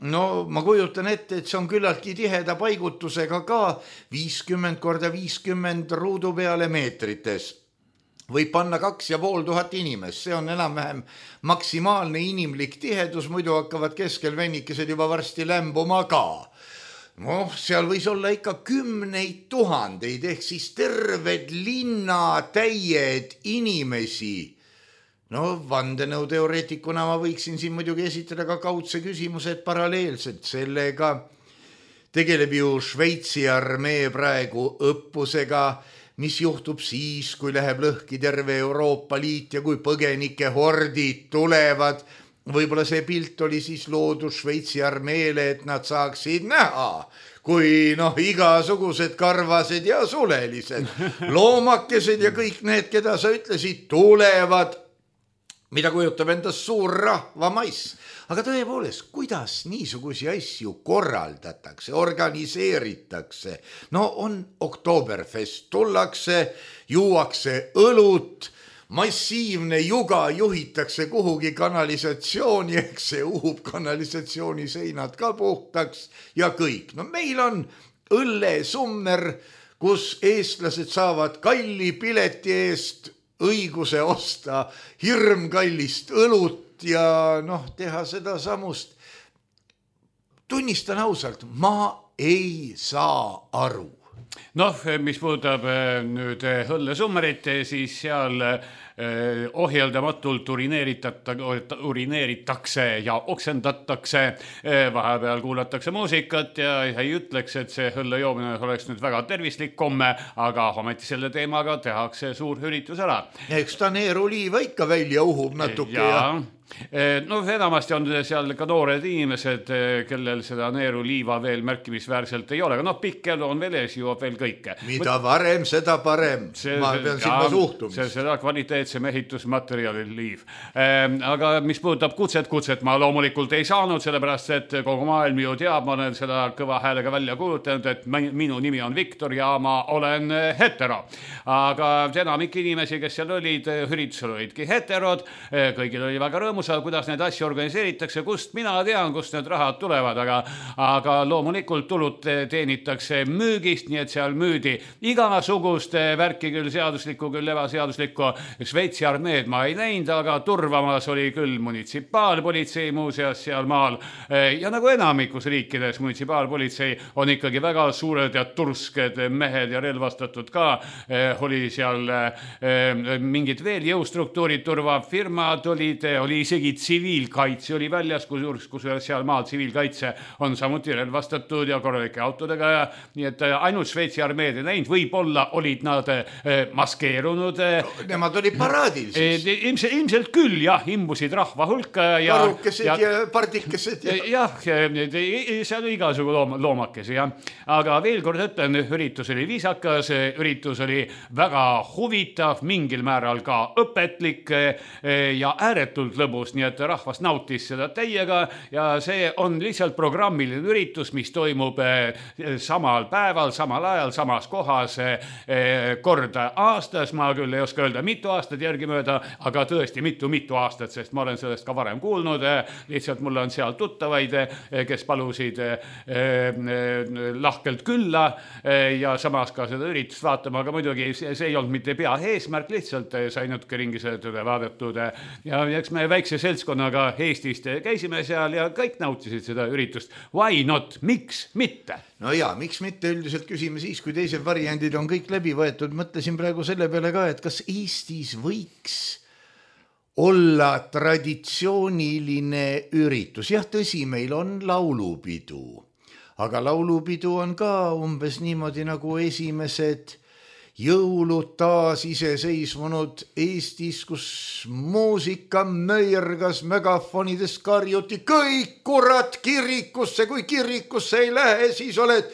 no ma kujutan ette, et see on küllaltki tiheda paigutusega ka viiskümmend korda viiskümmend ruudu peale meetrites. Võib panna kaks ja pool tuhat inimest, see on enam-vähem maksimaalne inimlik tihedus, muidu hakkavad keskel vennikesed juba varsti lämbuma ka. No, seal võis olla ikka kümneid tuhandeid, ehk siis terved linnatäied inimesi. No, vandenõuteoreetikuna ma võiksin siin muidugi esitada ka kaudse küsimused paralleelselt sellega. Tegeleb ju Šveitsi armee praegu õppusega, mis juhtub siis, kui läheb lõhki terve Euroopa Liit ja kui põgenike hordid tulevad. Võib-olla see pilt oli siis loodud Šveitsi armeele, et nad saaksid näha, kui noh, igasugused karvased ja sulelised, loomakesed ja kõik need, keda sa ütlesid, tulevad, mida kujutab endast suur rahvamaiss. Aga tõepoolest, kuidas niisugusi asju korraldatakse, organiseeritakse? No on Oktoberfest, tullakse, juuakse õlut, massiivne juga juhitakse kuhugi kanalisatsiooni, ehk see uhub kanalisatsiooni seinad ka puhtaks ja kõik. No meil on õllesummer, kus eestlased saavad kalli pileti eest õiguse osta hirmkallist õlut ja noh, teha seda samust. Tunnistan ausalt, ma ei saa aru. Noh, mis puudutab nüüd õllesummerit, siis seal ohjeldamatult urineeritakse ja oksendatakse, vahepeal kuulatakse muusikat ja ei ütleks, et see õllejoomine oleks nüüd väga tervislik komme, aga ometi selle teemaga tehakse suur üritus ära. Eks ta neeruliiva ikka välja uhub natuke ja... ja... No enamasti on seal ka noored inimesed, kellel seda neeruliiva veel märkimisväärselt ei ole, aga noh, pikk elu on veel ees, juuab veel kõike. Mida varem, seda parem. See, ma pean silma suhtumist. See, seda kvaliteetsem ehitusmaterjali liiv. Aga mis puudutab kutset, kutset ma loomulikult ei saanud, sellepärast, et kogu maailm ju teab, ma olen seda kõva häälega välja kuulutanud, et minu nimi on Viktor ja ma olen hetero. Aga enamik inimesi, kes seal olid, üritusel olidki heterod, kõigil oli väga rõõmus, kuidas neid asju organiseeritakse, kust mina tean, kust need rahad tulevad, aga, aga loomulikult tulud teenitakse müügist, nii et seal müüdi igasugust värki, küll seaduslikku, küll ebaseaduslikku. Šveitsi armeed ma ei näinud, aga turvamas oli küll munitsipaalpolitsei muuseas seal maal. Ja nagu enamikus riikides munitsipaalpolitsei on ikkagi väga suured ja tursked mehed ja relvastatud ka. Oli seal mingid veel jõustruktuurid, turvafirmad olid, oli isegi tsiviilkaitse oli väljas, kus, kus seal maal tsiviilkaitse on samuti relvastatud ja korralike autodega ja nii et ainult Šveitsi armeed ei näinud, võib-olla olid nad maskeerunud. No, nemad olid paraadil siis. Ilmselt, ilmselt küll, jah, imbusid rahva hulka. Ja, karukesed ja, ja pardikesed. Ja. Jah, seal oli igasugu loom, loomakesi, jah. Aga veel kord ütlen, üritus oli viisakas, üritus oli väga huvitav, mingil määral ka õpetlik ja ääretult lõbus toimuvust, nii et rahvas nautis seda täiega ja see on lihtsalt programmiline üritus, mis toimub samal päeval, samal ajal, samas kohas korda aastas. Ma küll ei oska öelda mitu aastat järgimööda, aga tõesti mitu-mitu aastat, sest ma olen sellest ka varem kuulnud. Lihtsalt mul on seal tuttavaid, kes palusid lahkelt külla ja samas ka seda üritust vaatama, aga muidugi see ei olnud mitte pea eesmärk, lihtsalt sai natuke ringi seda vaadatud ja eks me väikse seltskonnaga Eestist käisime seal ja kõik nautisid seda üritust. Why not? Miks mitte? No jaa, miks mitte üldiselt küsime siis, kui teised variandid on kõik läbi võetud. Mõtlesin praegu selle peale ka, et kas Eestis võiks olla traditsiooniline üritus. Jah, tõsi, meil on laulupidu, aga laulupidu on ka umbes niimoodi nagu esimesed jõulud taas iseseisvunud Eestis, kus muusika möirgas, megafonides karjuti kõik kurat kirikusse, kui kirikusse ei lähe, siis oled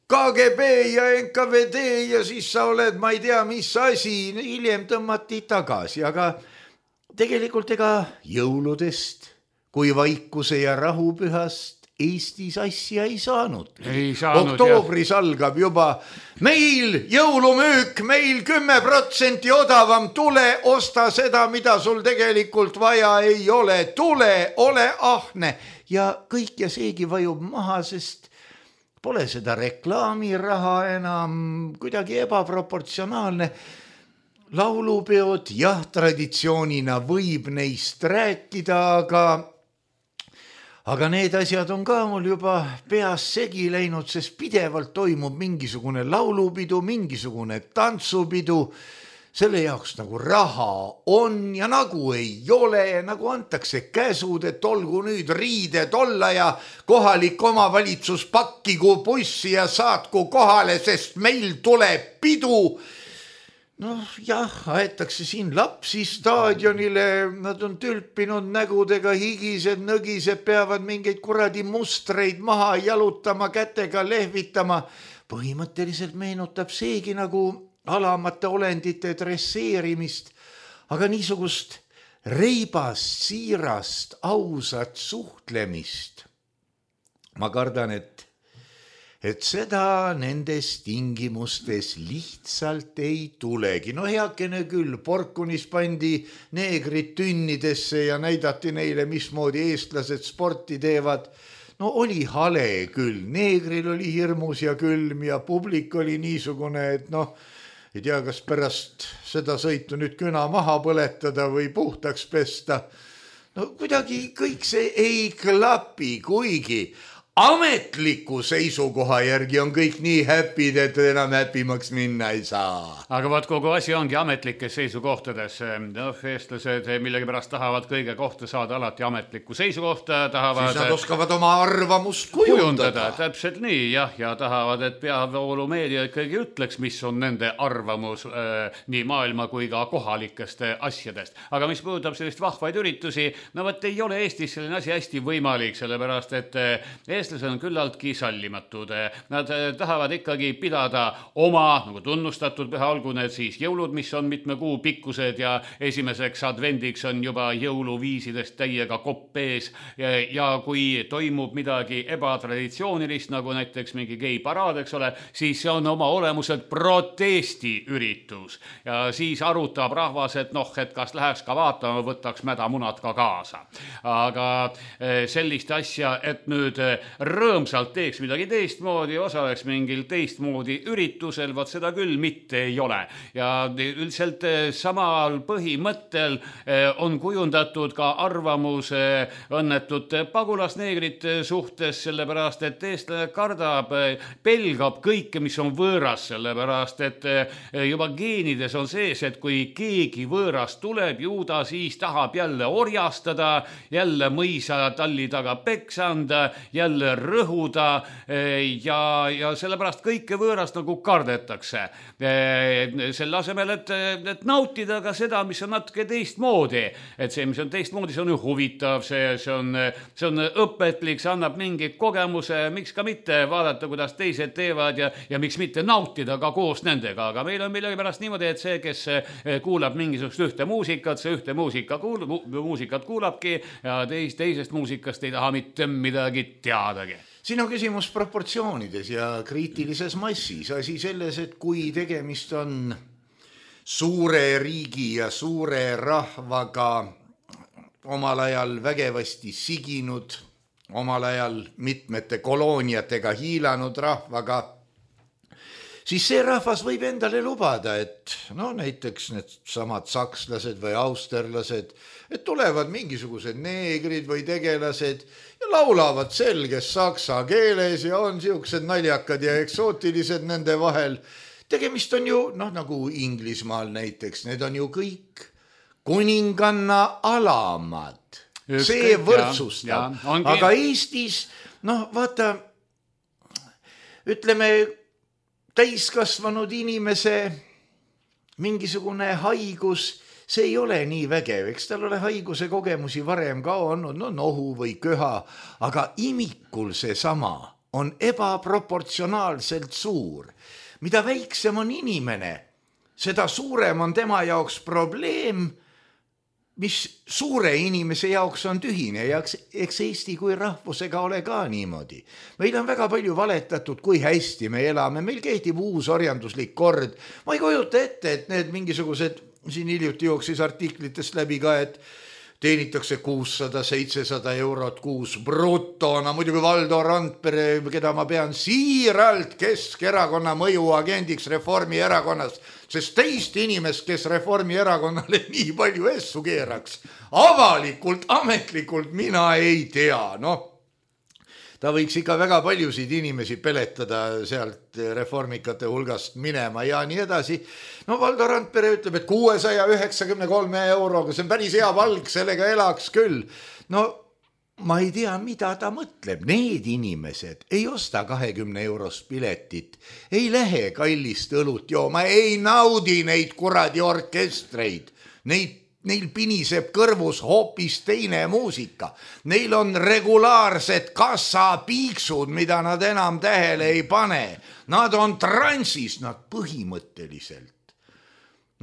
K G B ja N K V D ja siis sa oled, ma ei tea, mis asi, hiljem tõmmati tagasi, aga tegelikult ega jõuludest kui vaikuse ja rahupühast Eestis asja ei saanud. Ei saanud Oktoobris jah. Algab juba meil jõulumüük, meil kümme protsenti odavam, tule, osta seda, mida sul tegelikult vaja ei ole, tule, ole ahne ja kõik ja seegi vajub maha, sest pole seda reklaamiraha enam, kuidagi ebaproportsionaalne. Laulupeod, jah, traditsioonina võib neist rääkida, aga Aga need asjad on ka mul juba peas segi läinud, sest pidevalt toimub mingisugune laulupidu, mingisugune tantsupidu. Selle jaoks nagu raha on ja nagu ei ole, nagu antakse käsud, et olgu nüüd riided olla ja kohalik omavalitsus pakkigu bussi ja saatku kohale, sest meil tuleb pidu. Noh, jah, aetakse siin lapsi staadionile, nad on tülpinud nägudega, higised, nõgised, peavad mingeid kuradi mustreid maha jalutama, kätega lehvitama. Põhimõtteliselt meenutab seegi nagu alamate olendite dresseerimist, aga niisugust reibast, siirast, ausat suhtlemist. Ma kardan, et et seda nendes tingimustes lihtsalt ei tulegi. No heakene küll, Porkunis pandi neegrid tünnidesse ja näidati neile, mismoodi eestlased sporti teevad. No oli hale küll, neegril oli hirmus ja külm ja publik oli niisugune, et noh, ei tea, kas pärast seda sõitu nüüd küna maha põletada või puhtaks pesta. No kuidagi kõik see ei klapi, kuigi ametliku seisukoha järgi on kõik nii häpid, et enam häpimaks minna ei saa. Aga vaat kogu asi ongi ametlikes seisukohtades. No, eestlased millegi pärast tahavad kõige kohta saada alati ametlikku seisukohta. Tahavad siis nad oskavad oma arvamust kujundada. kujundada. Täpselt nii, jah, ja tahavad, et peavoolumeedia ikkagi ütleks, mis on nende arvamus äh, nii maailma kui ka kohalikest asjadest. Aga mis puudutab sellist vahvaid üritusi, no võt ei ole Eestis selline asi hästi võimalik, sellepärast et Eestis eestlased on küllaltki sallimatud. Nad tahavad ikkagi pidada oma nagu tunnustatud püha, olgu need siis jõulud, mis on mitme kuu pikkused ja esimeseks advendiks on juba jõuluviisidest täiega kopp ees. Ja, ja kui toimub midagi ebatraditsioonilist, nagu näiteks mingi geiparaad, eks ole, siis see on oma olemuselt protestiüritus. Ja siis arutab rahvas, et noh, et kas läheks ka vaatama, võtaks mädamunad ka kaasa. Aga sellist asja, et nüüd rõõmsalt teeks midagi teistmoodi, osaleks mingil teistmoodi üritusel, vaat seda küll mitte ei ole. Ja üldiselt samal põhimõttel on kujundatud ka arvamus õnnetute pagulasneegrite suhtes, sellepärast et eestlane kardab, pelgab kõike, mis on võõras, sellepärast et juba geenides on sees, et kui keegi võõras tuleb, ju ta siis tahab jälle orjastada, jälle mõisa talli taga peksa anda, jälle rõhuda ja, ja sellepärast kõike võõrast nagu kardetakse. Selle asemel, et, et nautida ka seda, mis on natuke teistmoodi. Et see, mis on teistmoodi, see on ju huvitav, see, see, on, see on õpetlik, see annab mingi kogemuse, miks ka mitte vaadata, kuidas teised teevad ja, ja miks mitte nautida ka koos nendega. Aga meil on millegipärast niimoodi, et see, kes kuulab mingisugust ühte muusikat, see ühte muusika kuul, mu, muusikat kuulabki ja teis, teisest muusikast ei taha mitte midagi teadagi. Siin on küsimus proportsioonides ja kriitilises massis. Asi selles, et kui tegemist on suure riigi ja suure rahvaga omal ajal vägevasti siginud, omal ajal mitmete kolooniatega hiilanud rahvaga, siis see rahvas võib endale lubada, et no näiteks need samad sakslased või austerlased, et tulevad mingisugused neegrid või tegelased ja laulavad selges saksa keeles ja on siuksed naljakad ja eksootilised nende vahel. Tegemist on ju, noh nagu Inglismaal näiteks, need on ju kõik kuninganna alamad. See võrdsustab. Aga Eestis, noh vaata, ütleme, täiskasvanud inimese mingisugune haigus, see ei ole nii vägev, eks tal ole haiguse kogemusi varem ka olnud, no nohu või köha, aga imikul see sama on ebaproportsionaalselt suur. Mida väiksem on inimene, seda suurem on tema jaoks probleem, mis suure inimese jaoks on tühine ja eks Eesti kui rahvusega ole ka niimoodi. Meil on väga palju valetatud, kui hästi me elame, meil kehtib uus orjanduslik kord. Ma ei kujuta ette, et need mingisugused, siin hiljuti jooksis artiklitest läbi ka, et teenitakse kuussada seitsesada eurot kuus brutona, muidugi Valdo Randpere, keda ma pean siiralt Keskerakonna mõjuagendiks Reformierakonnas, sest teist inimest, kes Reformierakonnale nii palju essu keeraks, avalikult, ametlikult mina ei tea, noh. Ta võiks ikka väga paljusid inimesi peletada sealt reformikate hulgast minema ja nii edasi. No Valdo Randpere ütleb, et kuuesaja üheksakümne kolme euroga, see on päris hea palk, sellega elaks küll. No ma ei tea, mida ta mõtleb. Need inimesed ei osta kahekümne eurost piletit, ei lähe kallist õlut jooma, ei naudi neid kuradi orkestreid, neid Neil piniseb kõrvus hoopis teine muusika. Neil on regulaarsed kassapiiksud, mida nad enam tähele ei pane. Nad on transis, nad põhimõtteliselt.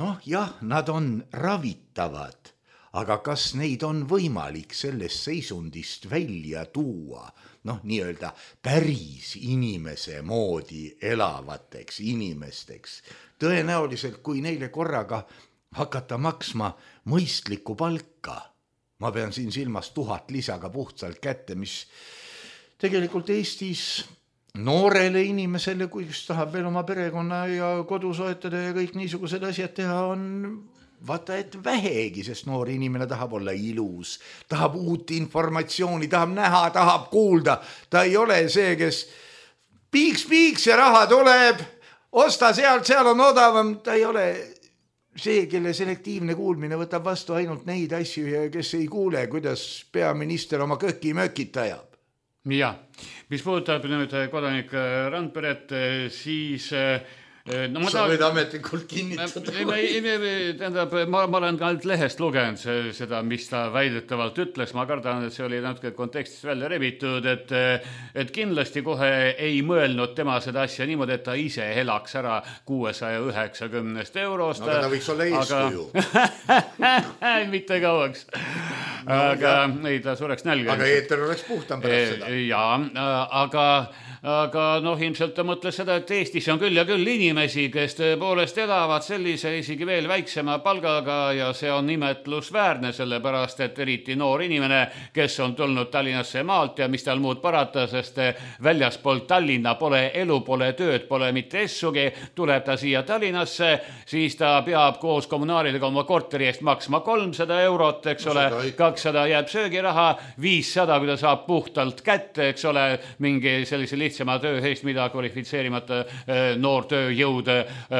Noh, jah, nad on ravitavad, aga kas neid on võimalik sellest seisundist välja tuua? Noh, nii-öelda päris inimese moodi elavateks inimesteks. Tõenäoliselt, kui neile korraga hakata maksma mõistlikku palka. Ma pean siin silmas tuhat lisaga puhtsalt kätte, mis tegelikult Eestis noorele inimesele, kui tahab veel oma perekonna ja kodu soetada ja kõik niisugused asjad teha, on vaata, et vähegi, sest noor inimene tahab olla ilus, tahab uut informatsiooni, tahab näha, tahab kuulda. Ta ei ole see, kes piiks, piiks ja raha tuleb, osta sealt, seal on odavam. Ta ei ole see, kelle selektiivne kuulmine võtab vastu ainult neid asju ja kes ei kuule, kuidas peaminister oma köki mökit ajab. Ja, mis puudutab nüüd kodanik Randperet, siis no, ma sa võid ametlikult kinnitada. Tähendab, ma, ma olen ka lehest lugenud seda, mis ta väidetavalt ütles. Ma kardan, et see oli natuke kontekstist välja rebitud, et, et kindlasti kohe ei mõelnud tema seda asja niimoodi, et ta ise elaks ära kuuesaja üheksakümnest eurost. No, aga ta võiks olla eeskuju. Mitte kauaks. No, aga ei, ta sureks nälga. Aga eeter oleks puhtam pärast seda. Ja, aga aga noh, ilmselt ta mõtles seda, et Eestis on küll ja küll inimesi, kes tõepoolest elavad sellise isegi veel väiksema palgaga ja see on nimetlusväärne, sellepärast, et eriti noor inimene, kes on tulnud Tallinnasse maalt ja mis tal muud parata, sest väljaspoolt Tallinna pole elu, pole tööd, pole mitte essugi, tuleb ta siia Tallinnasse, siis ta peab koos kommunaalidega oma korteri eest maksma kolmsada eurot, eks ole, ka kakssada jääb söögiraha, viissada, kui ta saab puhtalt kätte, eks ole, mingi sellise lihtsama töö eest, mida kvalifitseerimata noor tööjõud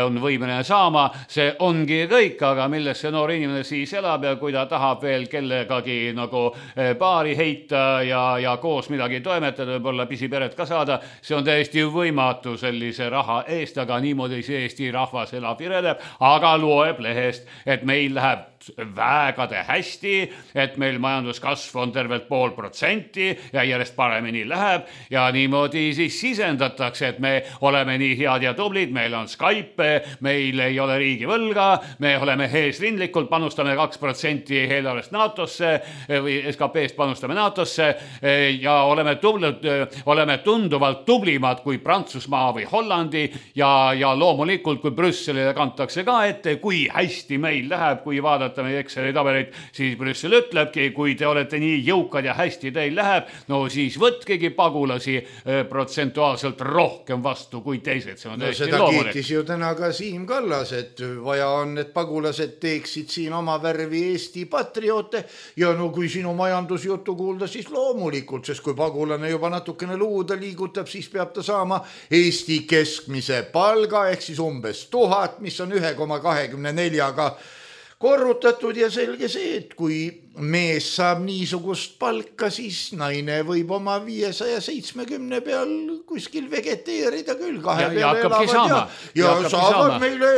on võimeline saama, see ongi kõik, aga milles see noor inimene siis elab ja kui ta tahab veel kellegagi nagu paari heita ja, ja koos midagi toimetada, võib-olla pisiperet ka saada, see on täiesti võimatu sellise raha eest, aga niimoodi see Eesti rahvas elab ja elab, aga loeb lehest, et meil läheb vägade hästi, et meil majanduskasv on tervelt pool protsenti ja järjest paremini läheb ja niimoodi siis sisendatakse, et me oleme nii head ja tublid, meil on Skype, meil ei ole riigi võlga, me oleme eesrindlikult, panustame kaks protsenti eelarvest NATOsse või S K P-st panustame NATOsse ja oleme, tublid, oleme tunduvalt tublimad kui Prantsusmaa või Hollandi ja, ja loomulikult, kui Brüsselile kantakse ka ette, kui hästi meil läheb, kui vaadata meie Exceli tabeleid, siis Brüssel ütlebki, kui te olete nii jõukad ja hästi teil läheb, no siis võtkegi pagulasi protsentuaalselt rohkem vastu kui teised. See on no seda loomulik. Kiitis ju täna ka Siim Kallas, et vaja on, et pagulased teeksid siin oma värvi Eesti patrioote ja no kui sinu majandusjuttu kuulda, siis loomulikult, sest kui pagulane juba natukene luuda liigutab, siis peab ta saama Eesti keskmise palga ehk siis umbes tuhat, mis on üks koma kakskümmend neli ka korrutatud ja selge see, et kui mees saab niisugust palka, siis naine võib oma viiesaja seitsmekümne peal kuskil vegeteerida küll, kahe ja, peale elavad ja, ja, ja saavad saama. Meile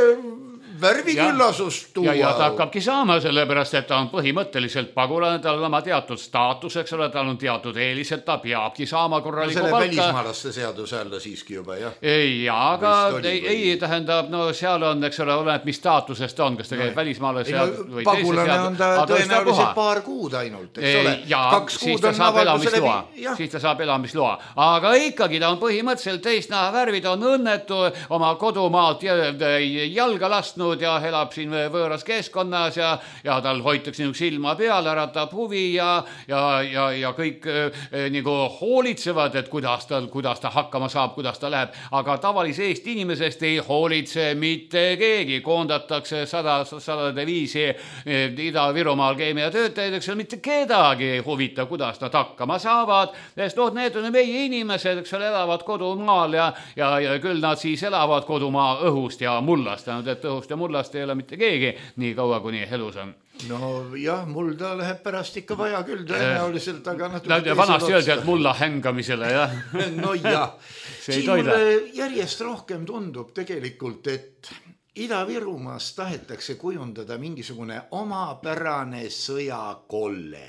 värviküllasust tuua. Ja, ja ta hakkabki saama, sellepärast, et ta on põhimõtteliselt pagulane, tal on oma teatud staatus, eks ole, tal on teatud eelised, ta peabki saama korralikku no, palka. Välismaalaste seaduse alla siiski juba, jah? Ei, aga ei, ei tähendab, no seal on, eks ole, oleneb, mis staatusest on, kas ta käib no, välismaalase seadus või teise seadus. Pagulane on ta tõenäoliselt paar kuud ainult, eks ole? Ja, Kaks siis ta saab elamisloa. Siis ta saab elamisloa. Aga ikkagi ta on põhimõtteliselt teistna värvid, on õnnetu oma kodumaalt jalga lastnud ja elab siin võõras keskkonnas ja, ja tal hoitakse niisugune silma peal, äratab huvi ja, ja, ja, ja kõik eh, nagu hoolitsevad, et kuidas, tal, kuidas ta hakkama saab, kuidas ta läheb. Aga tavalise Eesti inimesest ei hoolitse mitte keegi. Koondatakse sada, sadade viisi eh, Ida-Virumaal keemiatöötajaid, eks ole, mitte kedagi ei huvita, kuidas nad hakkama saavad. Sest noh, need on meie inimesed, eks ole, elavad kodumaal ja, ja, ja küll nad siis elavad kodumaa õhust ja mullast, et õhust ja mullast ei ole mitte keegi nii kaua, kuni elus on. No jah, mulda läheb pärast ikka vaja küll tõenäoliselt, aga natuke vanasti öeldi, et mulla hängamisele, jah. No jah, siin mulle järjest rohkem tundub tegelikult, et Ida-Virumaas tahetakse kujundada mingisugune omapärane sõjakolle.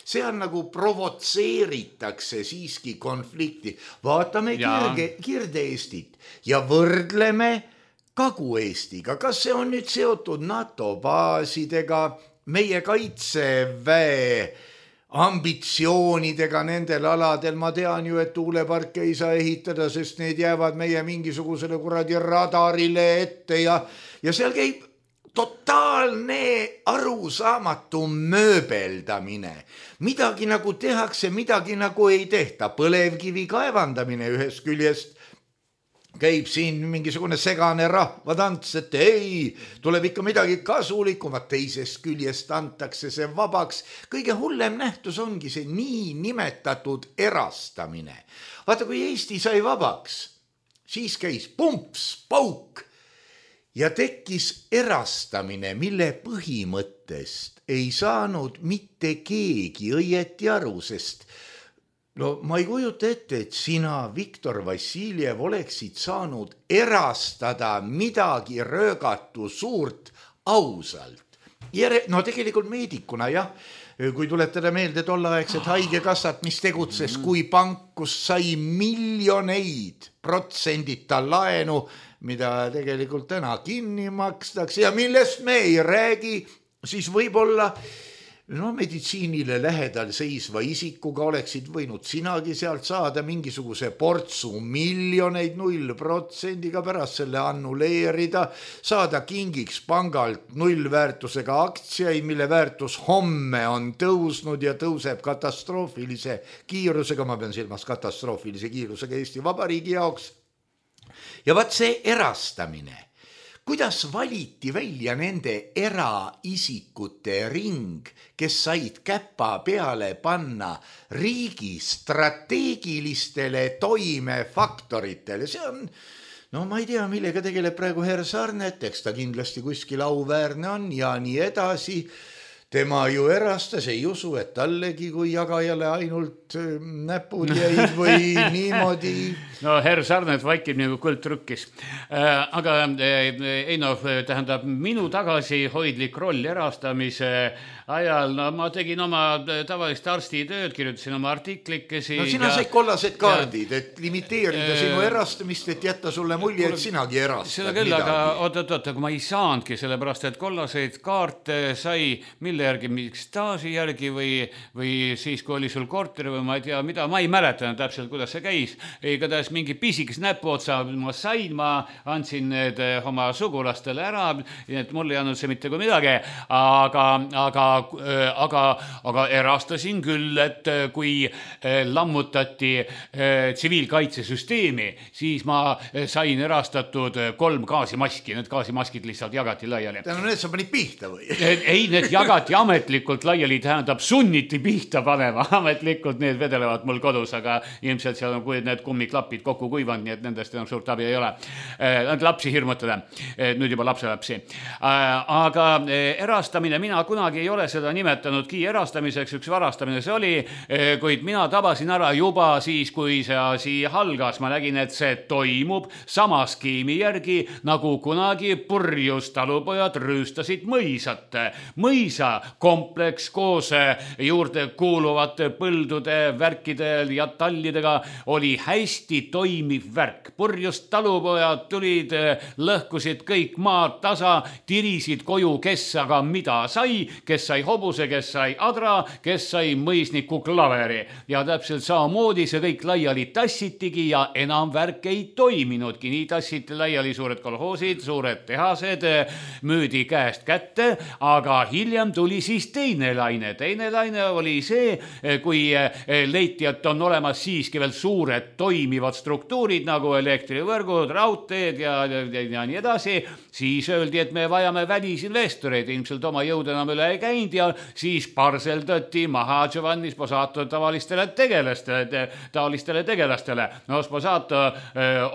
See on nagu provotseeritakse siiski konflikti. Vaatame kirge, Kirde-Eestit ja võrdleme Kagu-Eestiga. Kas see on nüüd seotud NATO baasidega, meie kaitseväe ambitsioonidega nendel aladel? Ma tean ju, et tuuleparke ei saa ehitada, sest need jäävad meie mingisugusele kuradi radarile ette ja, ja seal käib totaalne arusaamatu mööbeldamine. Midagi nagu tehakse, midagi nagu ei tehta. Põlevkivi kaevandamine ühest küljest käib siin mingisugune segane rahvatants, et ei, tuleb ikka midagi kasulikumat, teisest küljest antakse see vabaks. Kõige hullem nähtus ongi see nii nimetatud erastamine. Vaata, kui Eesti sai vabaks, siis käis pumps, pauk ja tekkis erastamine, mille põhimõttest ei saanud mitte keegi õieti aru, sest no ma ei kujuta ette, et sina, Viktor Vassiljev, oleksid saanud erastada midagi röögatu suurt ausalt. Jere, no tegelikult meedikuna, jah, kui tuletada meelde tollaegset haigekassat, mis tegutses kui pank, kus sai miljoneid protsendita laenu, mida tegelikult täna kinni makstakse ja millest me ei räägi, siis võib-olla no meditsiinile lähedal seisva isikuga oleksid võinud sinagi sealt saada mingisuguse portsu miljoneid null protsendiga pärast selle annuleerida, saada kingiks pangalt nullväärtusega aktsiaid, mille väärtus homme on tõusnud ja tõuseb katastroofilise kiirusega, ma pean silmas katastroofilise kiirusega Eesti Vabariigi jaoks. Ja vaat see erastamine, kuidas valiti välja nende eraisikute ring, kes said käpa peale panna riigi strateegilistele toimefaktoritele? See on, no ma ei tea, millega tegeleb praegu herr Sarnet, eks ta kindlasti kuskil auväärne on ja nii edasi. Tema ju erastas, ei usu, et tallegi kui jagajale ainult näpud jäid või niimoodi. No herr Sarnet vaikib nagu kõld trükkis. Aga ei no, tähendab, minu tagasi hoidlik roll erastamise ajal, no ma tegin oma tavalist arsti tööd, kirjutasin oma artiklikesi. No sina ja, said kollased kaardid, ja, et limiteerida äh, sinu erastamist, et jätta sulle mulje, et sinagi erastad. Seda küll, midagi. Aga oot, oot, oot, aga ma ei saanudki, sellepärast, et kollaseid kaarte sai mille järgi, mingi staaži järgi või, või siis, kui oli sul korteri või ma ei tea mida, ma ei mäleta täpselt, kuidas see käis. Igatahes mingi pisikes näpuotsa ma sain, ma andsin need oma sugulastele ära, et mul ei andnud see mitte kui midagi, aga, aga, aga, aga erastasin küll, et kui lammutati tsiviilkaitsesüsteemi, siis ma sain erastatud kolm gaasimaski, need gaasimaskid lihtsalt jagati laiali. No need sa panid pihta või? Ei, need jagati ametlikult laiali, tähendab sunniti pihta panema, ametlikult need vedelevad mul kodus, aga ilmselt seal on, kui need kummiklapid kokku kuivanud, nii et nendest enam suurt abi ei ole. Nad lapsi hirmutada, nüüd juba lapselapsi. Aga erastamine, mina kunagi ei ole seda nimetanudki erastamiseks, üks varastamine see oli, kuid mina tabasin ära juba siis, kui see asi halgas. Ma nägin, et see toimub sama skeemi järgi, nagu kunagi purjus talupojad rüüstasid mõisat. Mõisa kompleks koos juurde kuuluvate põldude, värkide ja tallidega oli hästi toimiv värk. Purjust talupojad tulid, lõhkusid kõik maad tasa, tirisid koju, kes aga mida sai, kes sai hobuse, kes sai adra, kes sai mõisniku klaveri. Ja täpselt samamoodi see kõik laiali tassitigi ja enam värk ei toiminudki. Nii tassiti laiali suured kolhoosid, suured tehased, müüdi käest kätte, aga hiljem tuli siis teine laine. Teine laine oli see, kui leiti, et on olemas siiski veel suured toimivad struktuurid nagu elektrivõrgud, raudteed ja, ja, ja nii edasi, siis öeldi, et me vajame välisinvestoreid, ilmselt oma jõud enam üle ei käinud ja siis parseldati maha Giovanni Sposato tavalistele tegelastele, taolistele tegelastele. No Sposato äh,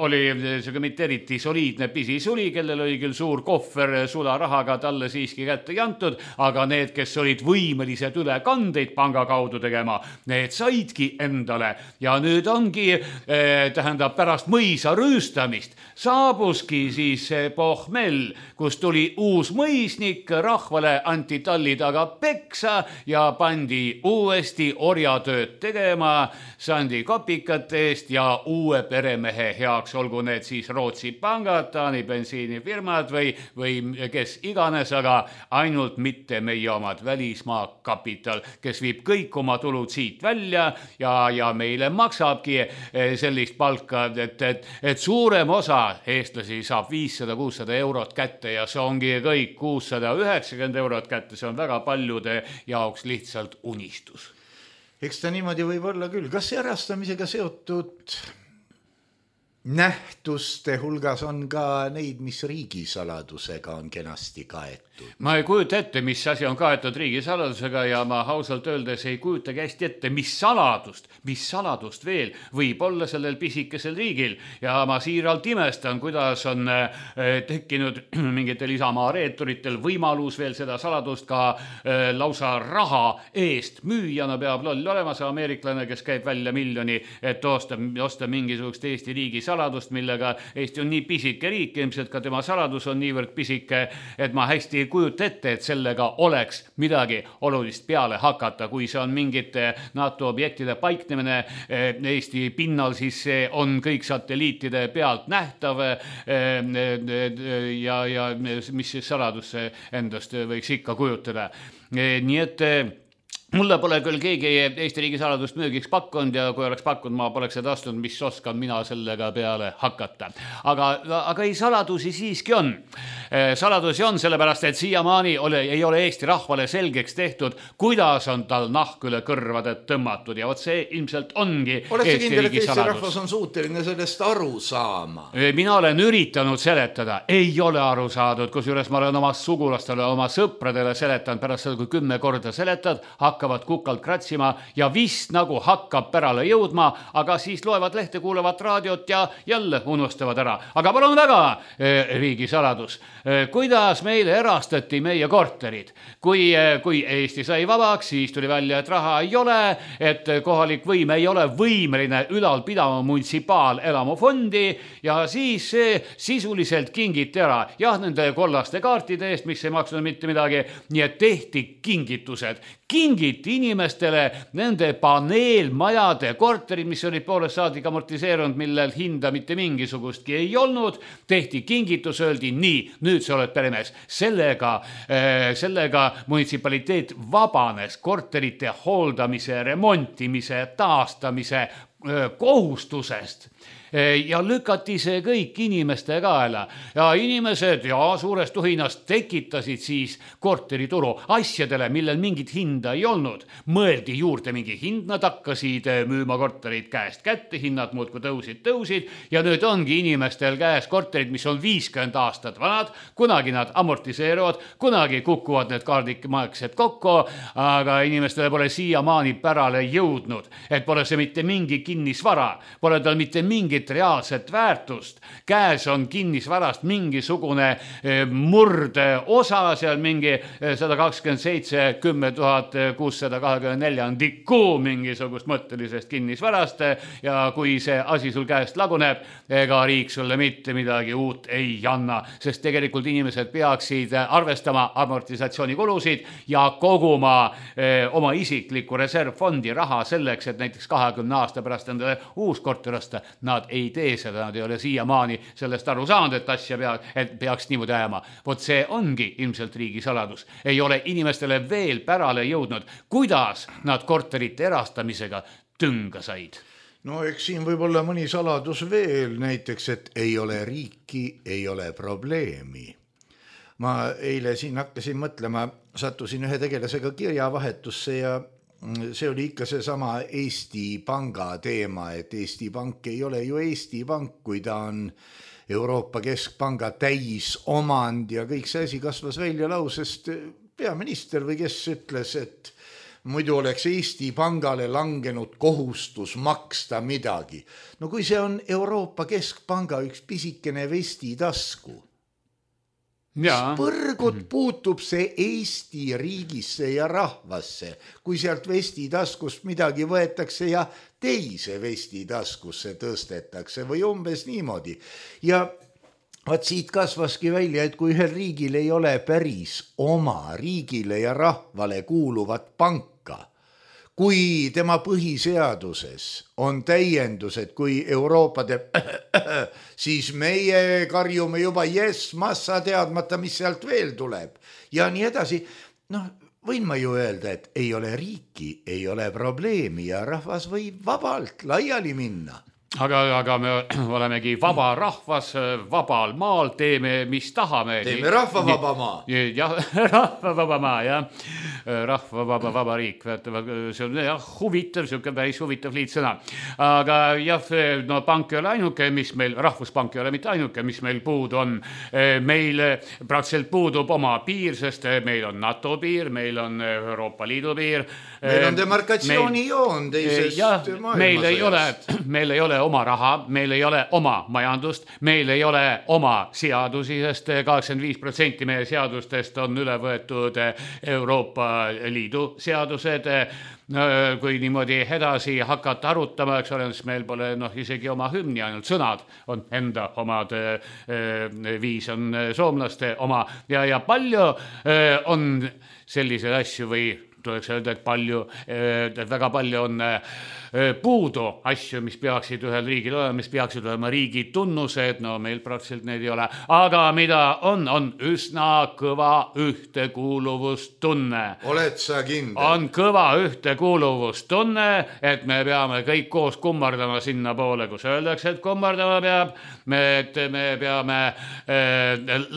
oli see mitte eriti soliidne pisisuli, kellel oli küll suur kohver sularahaga talle siiski kätte jantud, aga need, kes olid võimelised ülekandeid panga kaudu tegema, need saidki endale ja nüüd ongi, äh, tähendab, pärast mõisa rüüstamist saabuski siis pohmell, kus tuli uus mõisnik, rahvale anti talli taga peksa ja pandi uuesti orjatööd tegema sandi kopikate eest ja uue peremehe heaks, olgu need siis Rootsi pangad, Taani bensiinifirmad või, või kes iganes, aga ainult mitte meie omad, välismaa kapital, kes viib kõik oma tulud siit välja ja, ja meile maksabki sellist palka, et, et, et suurem osa eestlasi saab viissada kuussada eurot kätte ja see ongi kõik kuussada üheksakümmend eurot kätte, see on väga paljude jaoks lihtsalt unistus. Eks ta niimoodi võib olla küll. Kas erastamisega seotud nähtuste hulgas on ka neid, mis riigisaladusega on kenasti kaetud? Ma ei kujuta ette, mis asi on kaetud riigisaladusega ja ma ausalt öeldes ei kujuta kästi ette, mis saladust, mis saladust veel võib olla sellel pisikesel riigil. Ja ma siiralt imestan, kuidas on tekkinud mingitel Isamaa reeturitel võimalus veel seda saladust ka lausa raha eest müüjana peab loll olema see ameeriklane, kes käib välja miljoni, et osta, osta mingisugust Eesti riigi saladust, millega Eesti on nii pisike riik, ilmselt ka tema saladus on niivõrd pisike, et ma hästi kujuta ette, et sellega oleks midagi olulist peale hakata. Kui see on mingite NATO objektide paiknemine Eesti pinnal, siis see on kõik satelliitide pealt nähtav ja, ja mis siis saladus endast võiks ikka kujutada. Nii et mulle pole küll keegi Eesti riigi saladust müügiks pakkunud ja kui oleks pakkunud, ma poleks seda astunud, mis oskan mina sellega peale hakata. Aga, aga ei, saladusi siiski on. Saladusi on sellepärast, et siiamaani ole, ei ole Eesti rahvale selgeks tehtud, kuidas on tal nahk üle kõrvade tõmmatud ja vot see ilmselt ongi Oled Eesti kindel, riigi Eesti saladus. rahvas on suuteline sellest aru saama? Mina olen üritanud seletada, ei ole aru saadud, kusjuures ma olen oma sugulastele, oma sõpradele seletanud pärast seda, kui kümme korda seletad, hakkavad kukalt kratsima ja vist nagu hakkab pärale jõudma, aga siis loevad lehte, kuulevad raadiot ja jälle unustavad ära. Aga palun väga, riigi saladus, kuidas meile erastati meie korterid? Kui, kui Eesti sai vabaks, siis tuli välja, et raha ei ole, et kohalik võim ei ole võimeline ülal pidama munitsipaalelamufondi ja siis see sisuliselt kingiti ära. Jah, nende kollaste kaartide eest, mis ei maksnud mitte midagi, nii et tehti kingitused. Kingiti inimestele nende paneelmajade korterid, mis olid poolest saadik amortiseerunud, millel hinda mitte mingisugustki ei olnud. Tehti kingitus, öeldi nii, nüüd sa oled peremees. Sellega, sellega munitsipaliteet vabanes korterite hooldamise, remontimise, taastamise kohustusest. Ja lükati see kõik inimeste kaela ja inimesed ja suures tuhinas tekitasid siis korterituru asjadele, millel mingit hinda ei olnud. Mõeldi juurde mingi hind, nad hakkasid müüma korterid käest kätte, hinnad muudkui tõusid, tõusid ja nüüd ongi inimestel käes korterid, mis on viiskümmend aastat vanad, kunagi nad amortiseeruvad, kunagi kukuvad need kaardikmaksed kokku, aga inimestele pole siiamaani pärale jõudnud, et pole see mitte mingi kinnisvara, pole tal mitte mingi reaalset väärtust. Käes on kinnisvarast mingisugune murde osa, seal mingi sada kakskümmend seitse kümme tuhat kuussada kakskümmend neli on tikku mingisugust mõttelisest kinnisvarast ja kui see asi sul käest laguneb, ega riik sulle mitte midagi uut ei anna, sest tegelikult inimesed peaksid arvestama amortisatsioonikulusid ja koguma eh, oma isikliku reservfondi raha selleks, et näiteks kahekümne aasta pärast endale uus korter osta. Nad ei tee seda, nad ei ole siiamaani sellest aru saanud, et asja pea, et peaks niimoodi ajama. Vot see ongi ilmselt riigi saladus. Ei ole inimestele veel pärale jõudnud, kuidas nad korterite erastamisega tünga said. No eks siin võib olla mõni saladus veel, näiteks, et ei ole riiki, ei ole probleemi. Ma eile siin hakkasin mõtlema, sattusin ühe tegelasega kirjavahetusse ja see oli ikka see sama Eesti Panga teema, et Eesti Pank ei ole ju Eesti Pank, kui ta on Euroopa Keskpanga täisomand ja kõik see asi kasvas välja lausest peaminister või kes ütles, et muidu oleks Eesti Pangale langenud kohustus maksta midagi. No kui see on Euroopa Keskpanga üks pisikene vestitasku, Ja. Põrgut puutub see Eesti riigisse ja rahvasse, kui sealt vestitaskust midagi võetakse ja teise vestitaskusse tõstetakse või umbes niimoodi. Ja vaat siit kasvaski välja, et kui ühel riigil ei ole päris oma riigile ja rahvale kuuluvat panka, kui tema põhiseaduses on täiendused, kui Euroopa teeb, siis meie karjume juba yes, massa teadmata, mis sealt veel tuleb. Ja nii edasi, noh, võin ma ju öelda, et ei ole riiki, ei ole probleemi ja rahvas võib vabalt laiali minna. Aga, aga me olemegi vaba rahvas, vabal maal, teeme mis tahame. Teeme rahva vaba maa. Jah, rahva vaba maa, jah. Rahva vaba, vaba riik. See on jah, huvitav, siuke päris huvitav liitsõna. Aga jah, no pank ei ole ainuke, mis meil, rahvuspank ei ole mitte ainuke, mis meil puudu on. Meil praktiliselt puudub oma piir, sest meil on NATO piir, meil on Euroopa Liidu piir. Meil on demarkatsioonijoon teisest maailmasõjast. Meil ei ole, meil ei ole oma raha, meil ei ole oma majandust, meil ei ole oma seadusi, sest kaheksakümmend viis protsenti meie seadustest on üle võetud Euroopa Liidu seadused. Kui niimoodi edasi hakata arutama, eks ole, siis meil pole noh, isegi oma hümni, ainult sõnad on enda omad, viis on soomlaste oma ja, ja palju on selliseid asju või tuleks öelda, et palju, et väga palju on puudu asju, mis peaksid ühel riigil olema, mis peaksid olema riigi tunnused, no meil praktiliselt neid ei ole, aga mida on, on üsna kõva ühtekuuluvustunne. Oled sa kindel? On kõva ühtekuuluvustunne, et me peame kõik koos kummardama sinna poole, kus öeldakse, et kummardama peab, me, et me peame äh,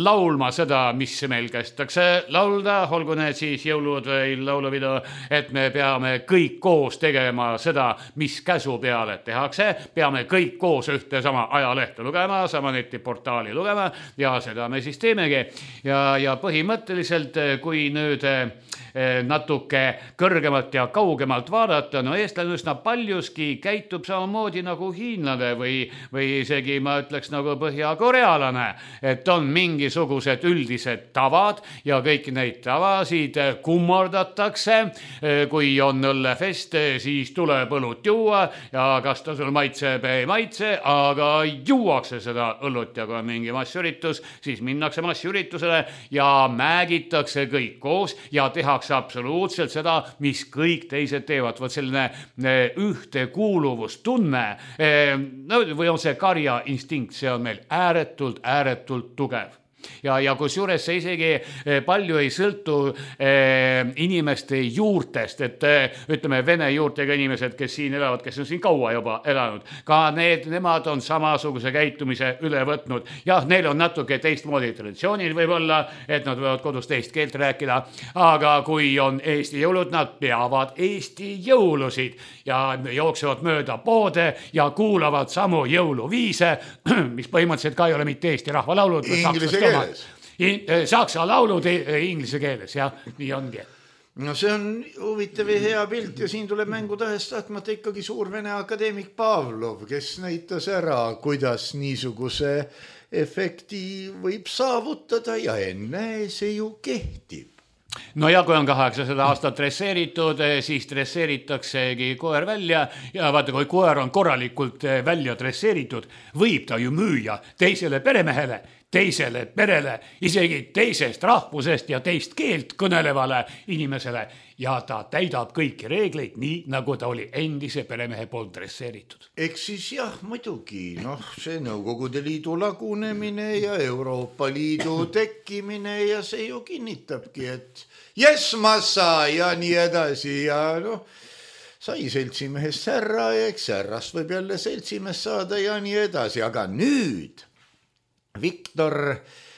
laulma seda, mis meil kästakse laulda, olgu need siis jõulud või laulupidu, et me peame kõik koos tegema seda, mis käsu peale tehakse, peame kõik koos ühte sama ajalehte lugema, sama netiportaali lugema ja seda me siis teemegi. Ja, ja põhimõtteliselt, kui nüüd natuke kõrgemalt ja kaugemalt vaadata, no eestlane üsna paljuski käitub samamoodi nagu hiinlane või, või isegi ma ütleks nagu põhja-korealane, et on mingisugused üldised tavad ja kõik neid tavasid kummardatakse. Kui on õllefest, siis tuleb õlut juua ja kas ta sul maitseb, ei maitse, aga juuakse seda õlut ja kui on mingi massüritus, siis minnakse massüritusele ja määgitakse kõik koos ja tehakse absoluutselt seda, mis kõik teised teevad. Võt selline ühtekuuluvustunne no, või on see karja instinkt, see on meil ääretult, ääretult tugev. Ja, ja kus juures see isegi palju ei sõltu eh, inimeste juurtest, et eh, ütleme vene juurtega inimesed, kes siin elavad, kes on siin kaua juba elanud, ka need, nemad on samasuguse käitumise üle võtnud. Jah, neil on natuke teistmoodi traditsioonid võib-olla, et nad võivad kodus teist keelt rääkida, aga kui on Eesti jõulud, nad peavad Eesti jõulusid ja jooksevad mööda poode ja kuulavad samu jõuluviise, mis põhimõtteliselt ka ei ole mitte Eesti rahvalaulud, inglise keeles. Saksa laulud inglise keeles, jah, nii ongi. No see on huvitav ja hea pilt ja siin tuleb mängu tähest tahtmata ikkagi suur vene akadeemik Pavlov, kes näitas ära, kuidas niisuguse efekti võib saavutada ja enne see ju kehtib. No ja kui on kaheksasada aastat dresseeritud, siis dresseeritaksegi koer välja ja vaata, kui koer on korralikult välja dresseeritud, võib ta ju müüa teisele peremehele, teisele perele, isegi teisest rahvusest ja teist keelt kõnelevale inimesele ja ta täidab kõiki reegleid nii, nagu ta oli endise peremehe poolt dresseeritud. Eks siis jah, muidugi, noh, see Nõukogude Liidu lagunemine ja Euroopa Liidu tekkimine ja see ju kinnitabki, et jes massa ja nii edasi ja noh, sai seltsimehest särra ja eks särrast võib jälle seltsimees saada ja nii edasi, aga nüüd Viktor,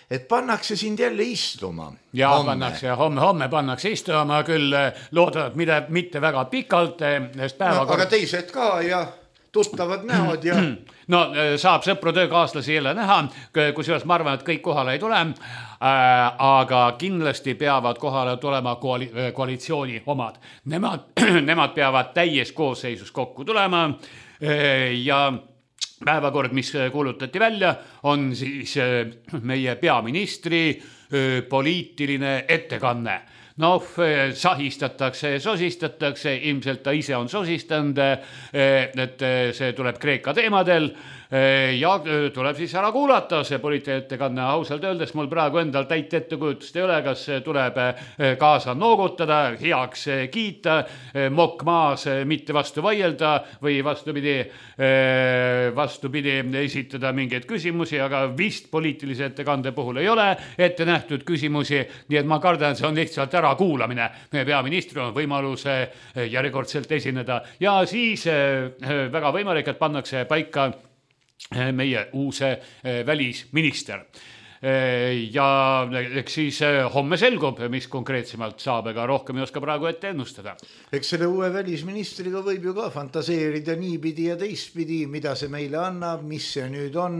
et pannakse sind jälle istuma. Ja homme. pannakse ja homme, homme pannakse istuma, küll loodavad mida, mitte väga pikalt. No, aga teised ka ja tuttavad näod ja... No saab sõpru töökaaslasi jälle näha, kusjuures ma arvan, et kõik kohale ei tule, aga kindlasti peavad kohale tulema koali, koalitsiooni omad. Nemad, nemad peavad täies koosseisus kokku tulema ja... Päevakord, mis kuulutati välja, on siis meie peaministri poliitiline ettekanne. Noh, sahistatakse, sosistatakse, ilmselt ta ise on sosistanud, et see tuleb Kreeka teemadel ja tuleb siis ära kuulata see poliitiline ettekanne. Ausalt öeldes mul praegu endal täit ettekujutust ei ole, kas tuleb kaasa noogutada, heaks kiita, mokk maas, mitte vastu vaielda või vastupidi, vastupidi esitada mingeid küsimusi, aga vist poliitilise ettekande puhul ei ole ette nähtud küsimusi, nii et ma kardan, see on lihtsalt ära kuulamine. Peaministril on võimalus järjekordselt esineda ja siis väga võimalik, et pannakse paika meie uuse välisminister. Ja eks siis homme selgub, mis konkreetsemalt saab, ega rohkem ei oska praegu ette ennustada. Eks selle uue välisministriga võib ju ka fantaseerida niipidi ja teistpidi, mida see meile annab, mis see nüüd on.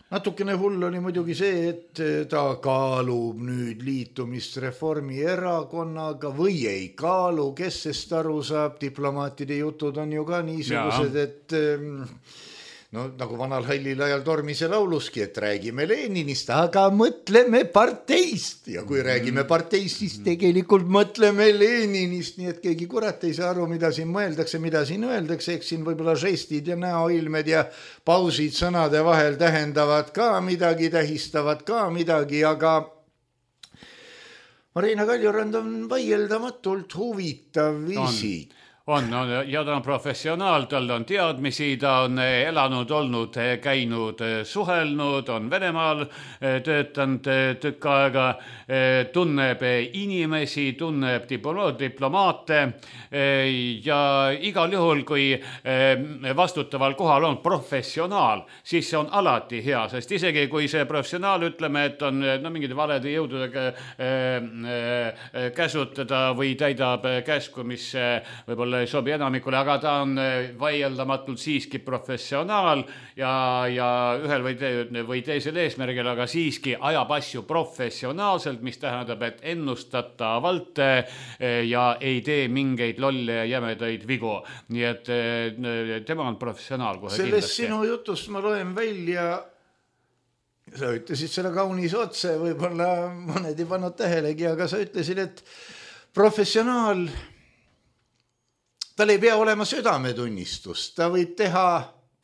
Natukene hull oli muidugi see, et ta kaalub nüüd liitumist Reformierakonnaga või ei kaalu, kes sest aru saab, diplomaatide jutud on ju ka niisugused, et no nagu vanal hallil ajal Tormise lauluski, et räägime Leninist, aga mõtleme parteist ja kui räägime parteist, siis tegelikult mõtleme Leninist, nii et keegi kurat ei saa aru, mida siin mõeldakse, mida siin öeldakse, eks siin võib-olla žestid ja näoilmed ja pausid sõnade vahel tähendavad ka midagi, tähistavad ka midagi, aga Marina Kaljurand on vaieldamatult huvitav isik. On, on, ja ta on professionaal, tal on teadmisi, ta on elanud, olnud, käinud, suhelnud, on Venemaal töötanud tükk aega, tunneb inimesi, tunneb diplomaate ja igal juhul, kui vastutaval kohal on professionaal, siis see on alati hea, sest isegi kui see professionaal, ütleme, et on no, mingid valede jõududega käsutada või täidab käsku, mis võib-olla ei sobi enamikule, aga ta on vaieldamatult siiski professionaal ja, ja ühel või, te, või teisel eesmärgil, aga siiski ajab asju professionaalselt, mis tähendab, et ennustatavalt ja ei tee mingeid lolle ja jämedaid vigu. Nii et tema on professionaal kohe Sellest kindlasti. Sinu jutust ma loen välja, sa ütlesid seda kaunis otse, võib-olla mõned ei pannud tähelegi, aga sa ütlesid, et professionaal tal ei pea olema südametunnistust, ta võib teha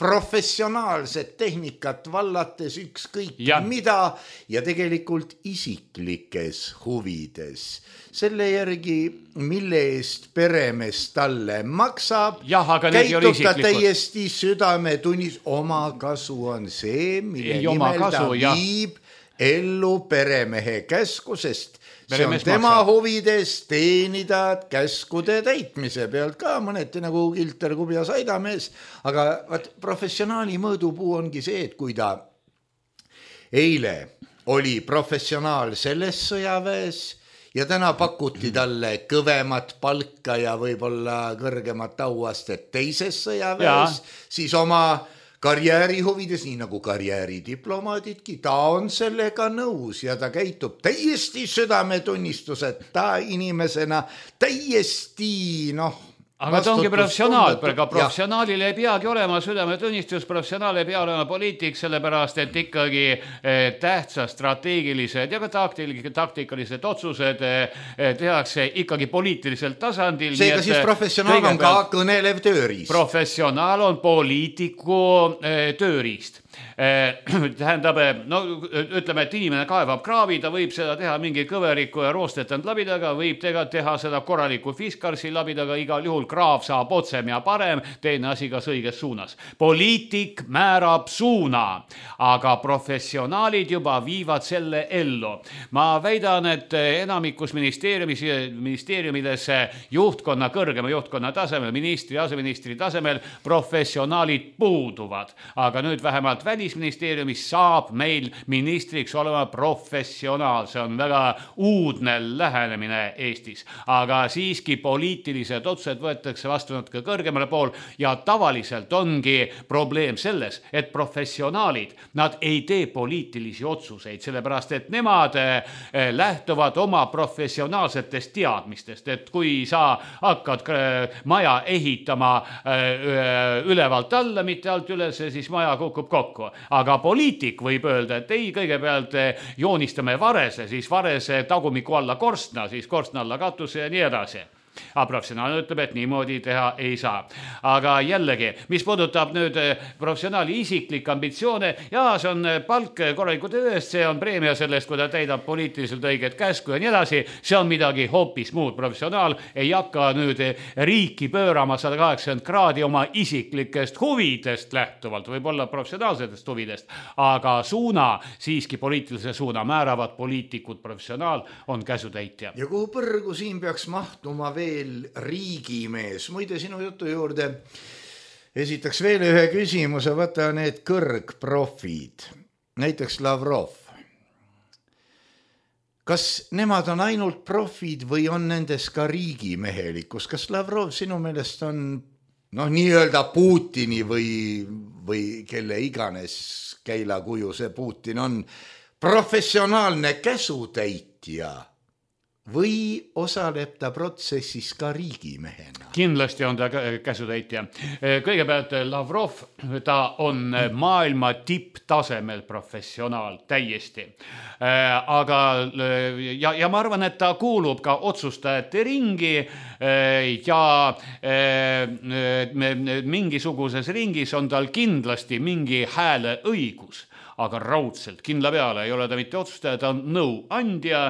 professionaalset tehnikat vallates ükskõik ja. mida ja tegelikult isiklikes huvides. Selle järgi, mille eest peremees talle maksab, ja, käitub ta täiesti südametunnist. Oma kasu on see, mille ei, nimel kasu, ta ja. viib ellu peremehe käsku, sest see on tema maksab. Huvides teenida käskude täitmise pealt ka mõneti nagu Kilter Kubja Saidamees, aga vaat, professionaali mõõdupuu ongi see, et kui ta eile oli professionaal selles sõjaväes ja täna pakuti talle kõvemat palka ja võib-olla kõrgemat auastet teises sõjaväes, ja. siis oma karjääri huvides, nii nagu karjääridiplomaadidki, ta on sellega nõus ja ta käitub täiesti südametunnistuseta inimesena, täiesti noh, aga ta ongi professionaal, aga professionaalil ei peagi olema südametunnistus, professionaal ei pea olema poliitik, sellepärast, et ikkagi tähtsad strateegilised ja ka taktikalised otsused tehakse ikkagi poliitilisel tasandil. Seega siis professionaal on ka kõnelev tööriist. Professionaal on poliitiku tööriist. Tähendab, no ütleme, et inimene kaevab kraavi, ta võib seda teha mingi kõveriku ja roostetanud labidaga, võib teha, teha seda korraliku fiskarsi labidaga, igal juhul kraav saab otsem ja parem, teine asi kas õiges suunas. Poliitik määrab suuna, aga professionaalid juba viivad selle ellu. Ma väidan, et enamikus ministeeriumis, ministeeriumides juhtkonna, kõrgema juhtkonna tasemel, ministri, aseministri tasemel professionaalid puuduvad, aga nüüd vähemalt välisministeeriumis saab meil ministriks olema professionaal. See on väga uudne lähenemine Eestis, aga siiski poliitilised otsused võetakse vastu natuke kõrgemale pool ja tavaliselt ongi probleem selles, et professionaalid, nad ei tee poliitilisi otsuseid, sellepärast et nemad lähtuvad oma professionaalsetest teadmistest, et kui sa hakkad maja ehitama ülevalt alla, mitte alt üles, siis maja kukub kokku. Aga poliitik võib öelda, et ei, kõigepealt joonistame varese, siis varese tagumiku alla korstna, siis korstna alla katuse ja nii edasi. Aga professionaal ütleb, et niimoodi teha ei saa. Aga jällegi, mis puudutab nüüd professionaali isiklik ambitsioone, ja see on palk korraliku töö eest, see on preemia sellest, kui ta täidab poliitiliselt õiget käsku ja nii edasi, see on midagi hoopis muud. Professionaal ei hakka nüüd riiki pöörama sada kaheksakümmend kraadi oma isiklikest huvidest lähtuvalt, võib-olla professionaalsetest huvidest, aga suuna, siiski poliitilise suuna määravad poliitikud, professionaal on käsutäitja. Ja kuhu põrgu siin peaks mahtuma veel riigimees. Muide, sinu jutu juurde esitaks veel ühe küsimuse, vaata need kõrgprofid, näiteks Lavrov. Kas nemad on ainult profid või on nendes ka riigimehelikkus? Kas Lavrov sinu meelest on noh, nii-öelda Putini või, või kelle iganes käilakuju see Putin on professionaalne käsutäitja? Või osaleb ta protsessis ka riigimehena? Kindlasti on ta käsutäitja. Kõigepealt Lavrov, ta on maailma tipptasemel professionaal täiesti. Aga, ja, ja ma arvan, et ta kuulub ka otsustajate ringi ja mingisuguses ringis on tal kindlasti mingi hääle õigus. aga raudselt, kindla peale ei ole ta mitte otsustaja, ta on nõuandja,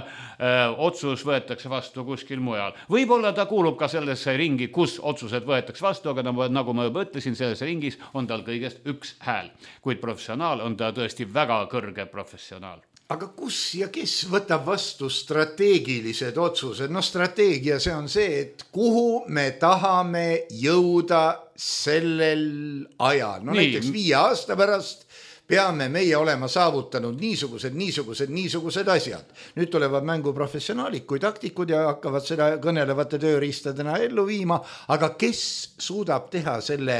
otsus võetakse vastu kuskil mujal. Võib-olla ta kuulub ka sellesse ringi, kus otsused võetakse vastu, aga nagu ma juba ütlesin, selles ringis on tal kõigest üks hääl. Kuid professionaal on ta tõesti väga kõrge professionaal. Aga kus ja kes võtab vastu strateegilised otsused? No strateegia see on see, et kuhu me tahame jõuda sellel ajal. No Nii. näiteks viie aasta pärast peame meie olema saavutanud niisugused, niisugused, niisugused asjad. Nüüd tulevad mängu professionaalid kui taktikud ja hakkavad seda kõnelevate tööriistadena ellu viima, aga kes suudab teha selle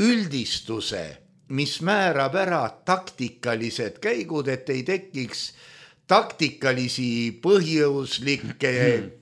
üldistuse, mis määrab ära taktikalised käigud, et ei tekiks taktikalisi põhjuslikke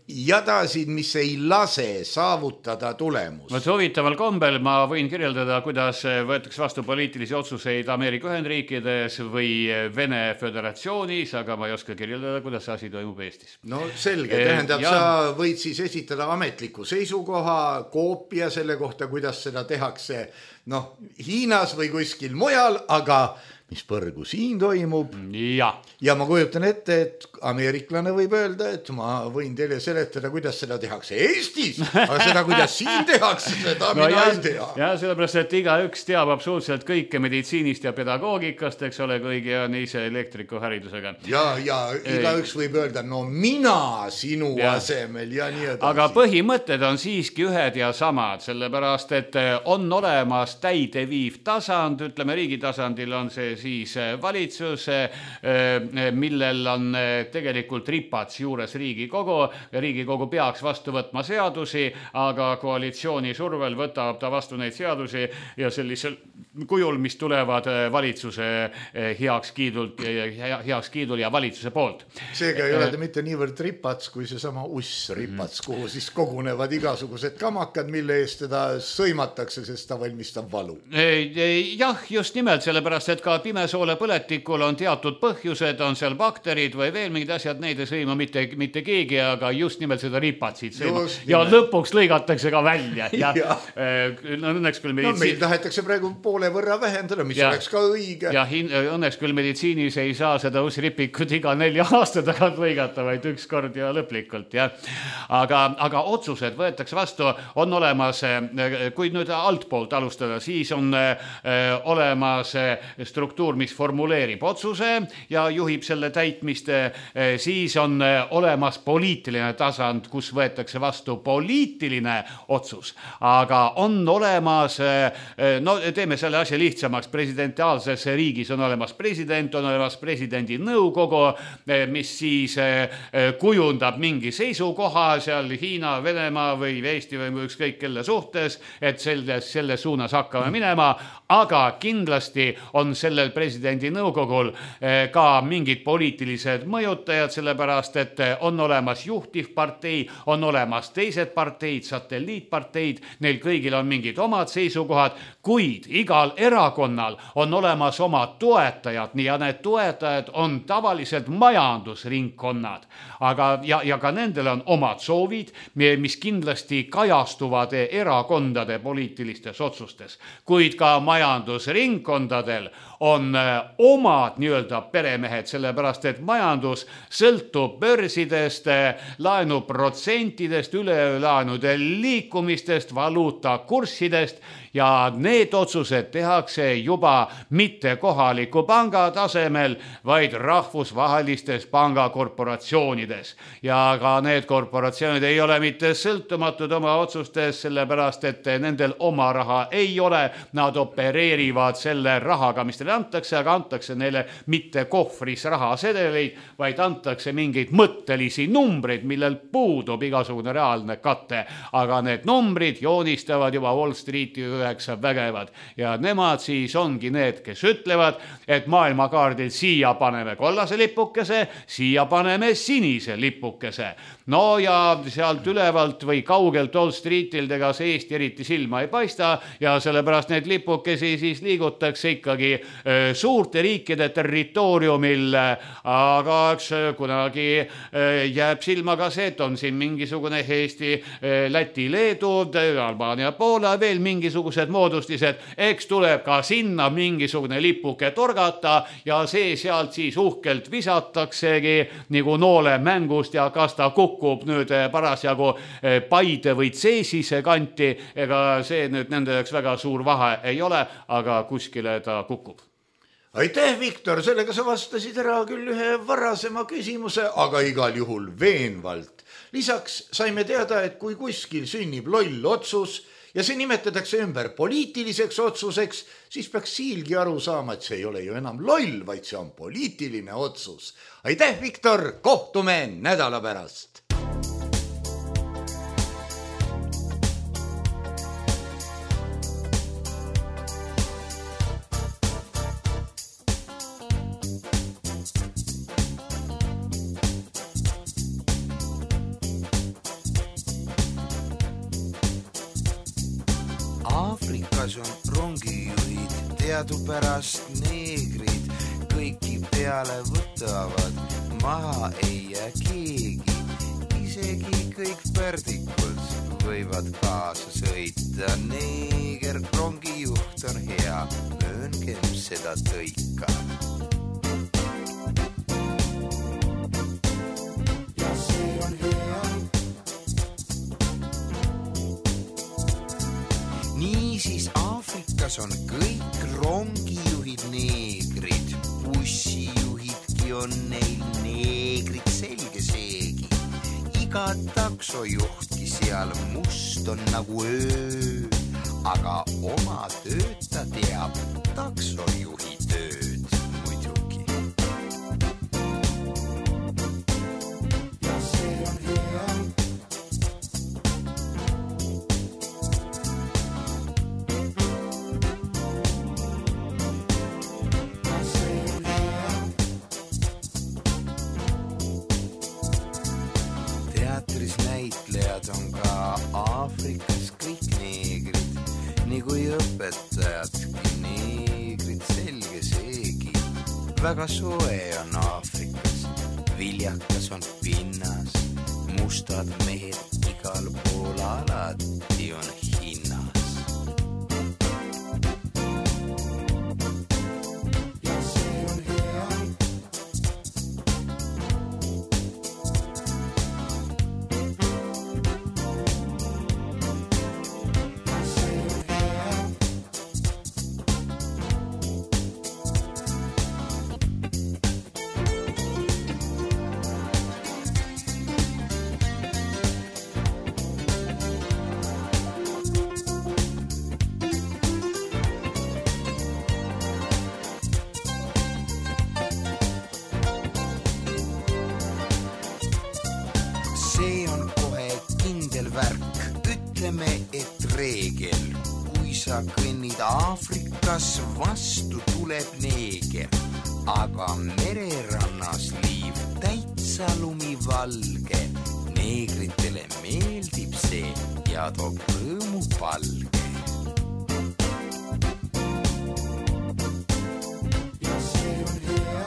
jadasid, mis ei lase saavutada tulemust. Võt huvitaval kombel ma võin kirjeldada, kuidas võetakse vastu poliitilisi otsuseid Ameerika Ühendriikides või Vene Föderatsioonis, aga ma ei oska kirjeldada, kuidas asi toimub Eestis. No selge, tähendab, ja... sa võid siis esitada ametliku seisukoha, koopia selle kohta, kuidas seda tehakse noh, Hiinas või kuskil mujal, aga mis põrgu siin toimub. Ja. ja ma kujutan ette, et ameeriklane võib öelda, et ma võin teile seletada, kuidas seda tehakse Eestis, aga seda, kuidas siin tehakse, seda no mina ja, ei tea. Ja sellepärast, et iga üks teab absoluutselt kõike meditsiinist ja pedagoogikast, eks ole, kõigi on ise elektriku haridusega. Ja, ja iga üks võib öelda, no mina sinu ja. asemel ja nii edasi. Aga põhimõtted on siiski ühed ja samad, sellepärast, et on olemas täideviiv tasand, ütleme riigi tasandil on see siis valitsus, millel on tegelikult ripats juures Riigikogu. Riigikogu peaks vastu võtma seadusi, aga koalitsiooni survel võtab ta vastu neid seadusi ja sellisel kujul, mis tulevad valitsuse heakskiidult, heakskiidul ja valitsuse poolt. Seega ei ole ta mitte niivõrd ripats, kui see sama uss ripats, kuhu siis kogunevad igasugused kamakad, mille eest teda sõimatakse, sest ta valmistab valu. Jah, just nimelt, sellepärast, et ka pimesoole põletikul on teatud põhjused, on seal bakterid või veel mingid asjad, neid ei sõima mitte, mitte keegi, aga just nimelt seda ripatsid sõima. Ja lõpuks lõigatakse ka välja. Ja, ja. No, õnneks küll meditsiin... no, meil tahetakse praegu poole võrra vähendada, mis ja. oleks ka õige. Ja hin... õnneks küll meditsiinis ei saa seda uusripikut iga nelja aasta tagant lõigata, vaid üks kord ja lõplikult. Ja. Aga, aga otsused võetakse vastu, on olemas, kui nüüd altpoolt alustada, siis on olemas struktuur, mis formuleerib otsuse ja juhib selle täitmist, siis on olemas poliitiline tasand, kus võetakse vastu poliitiline otsus, aga on olemas, no teeme selle asja lihtsamaks, presidentiaalses riigis on olemas president, on olemas presidendi nõukogu, mis siis kujundab mingi seisukoha seal Hiina, Venemaa või Eesti või ükskõik kelle suhtes, et selle, selle suunas hakkame minema, aga kindlasti on sellel presidendi nõukogul ka mingid poliitilised mõjutajad, sellepärast, et on olemas juhtivpartei, on olemas teised parteid, satelliitparteid, neil kõigil on mingid omad seisukohad, kuid igal erakonnal on olemas omad toetajad ja need toetajad on tavaliselt majandusringkonnad, aga ja, ja ka nendel on omad soovid, mis kindlasti kajastuvad erakondade poliitilistes otsustes, kuid ka majandusringkondadel on omad nii-öelda peremehed, sellepärast et majandus sõltub börsidest, laenuprotsentidest, ülelaenude liikumistest, valuutakurssidest ja need otsused tehakse juba mitte kohaliku panga tasemel, vaid rahvusvahelistes pangakorporatsioonides. Ja ka need korporatsioonid ei ole mitte sõltumatud oma otsustes, sellepärast et nendel oma raha ei ole, nad opereerivad selle rahaga, mis neile antakse, aga antakse neile mitte kohvris rahasedeleid, vaid antakse mingeid mõttelisi numbreid, millel puudub igasugune reaalne katte, aga need numbrid joonistavad juba Wall Streeti üheksa vägevad ja nemad siis ongi need, kes ütlevad, et maailmakaardil siia paneme kollase lipukese, siia paneme sinise lipukese. No ja sealt ülevalt või kaugelt Wall Streetil ega see Eesti eriti silma ei paista ja sellepärast need lipukesi siis liigutakse ikkagi suurte riikide territooriumil, aga eks kunagi jääb silma ka see, et on siin mingisugune Eesti, Läti, Leedu, Albaania, Poola, veel mingisugused moodustised, eks tuleb ka sinna mingisugune lipuke torgata ja see sealt siis uhkelt visataksegi nagu noole mängust ja kas ta kukub nüüd parasjagu Paide või Tseesise kanti, ega see nüüd nende jaoks väga suur vahe ei ole, aga kuskile ta kukub. Aitäh, Viktor, sellega sa vastasid ära küll ühe varasema küsimuse, aga igal juhul veenvalt. Lisaks saime teada, et kui kuskil sünnib loll otsus ja see nimetatakse ümber poliitiliseks otsuseks, siis peaks Siilgi aru saama, et see ei ole ju enam loll, vaid see on poliitiline otsus. Aitäh, Viktor, kohtume nädala pärast. Aafrikas on rongijuhid, teadupärast neegrid, kõiki peale võtavad, maha ei jää keegi, isegi kõik pärdikud võivad kaasa sõita, neeger rongijuht on hea, mööngem seda tõika. Ja see on hea. Niisiis Aafrikas on kõik rongijuhid neegrid, bussijuhidki on neil neegrid, selge seegi. Iga taksojuhtki seal must on nagu öö, aga oma tööd ta teab, taksojuhi tööd muidugi. Ja see on hea. Näitlejad on ka Aafrikas kõik neegrid, nagu õpetajadki neegrid, selge seegi. Väga soe on Aafrikas, viljakas on pinnas, mustad mehed igal pool alati on hinnas. Ja see on hea. See on kohe kindel värk, ütleme, et reegel. Kui sa kõnnid Aafrikas, vastu tuleb neeger, aga mererannas liiv täitsa lumivalge. Neegritele meeldib see ja toob rõõmu palge. Ja see on hea.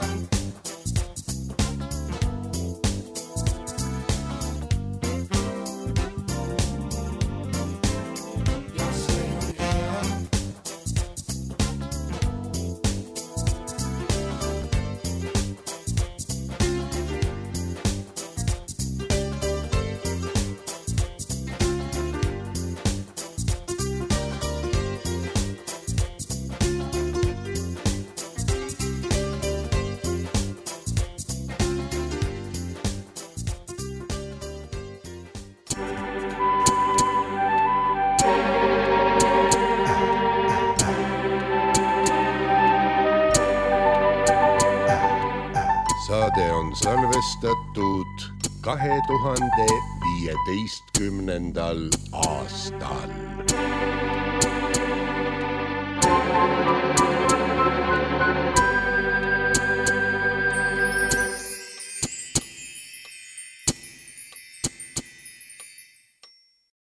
Saade on salvestatud kahe tuhande viieteistkümnendal aastal.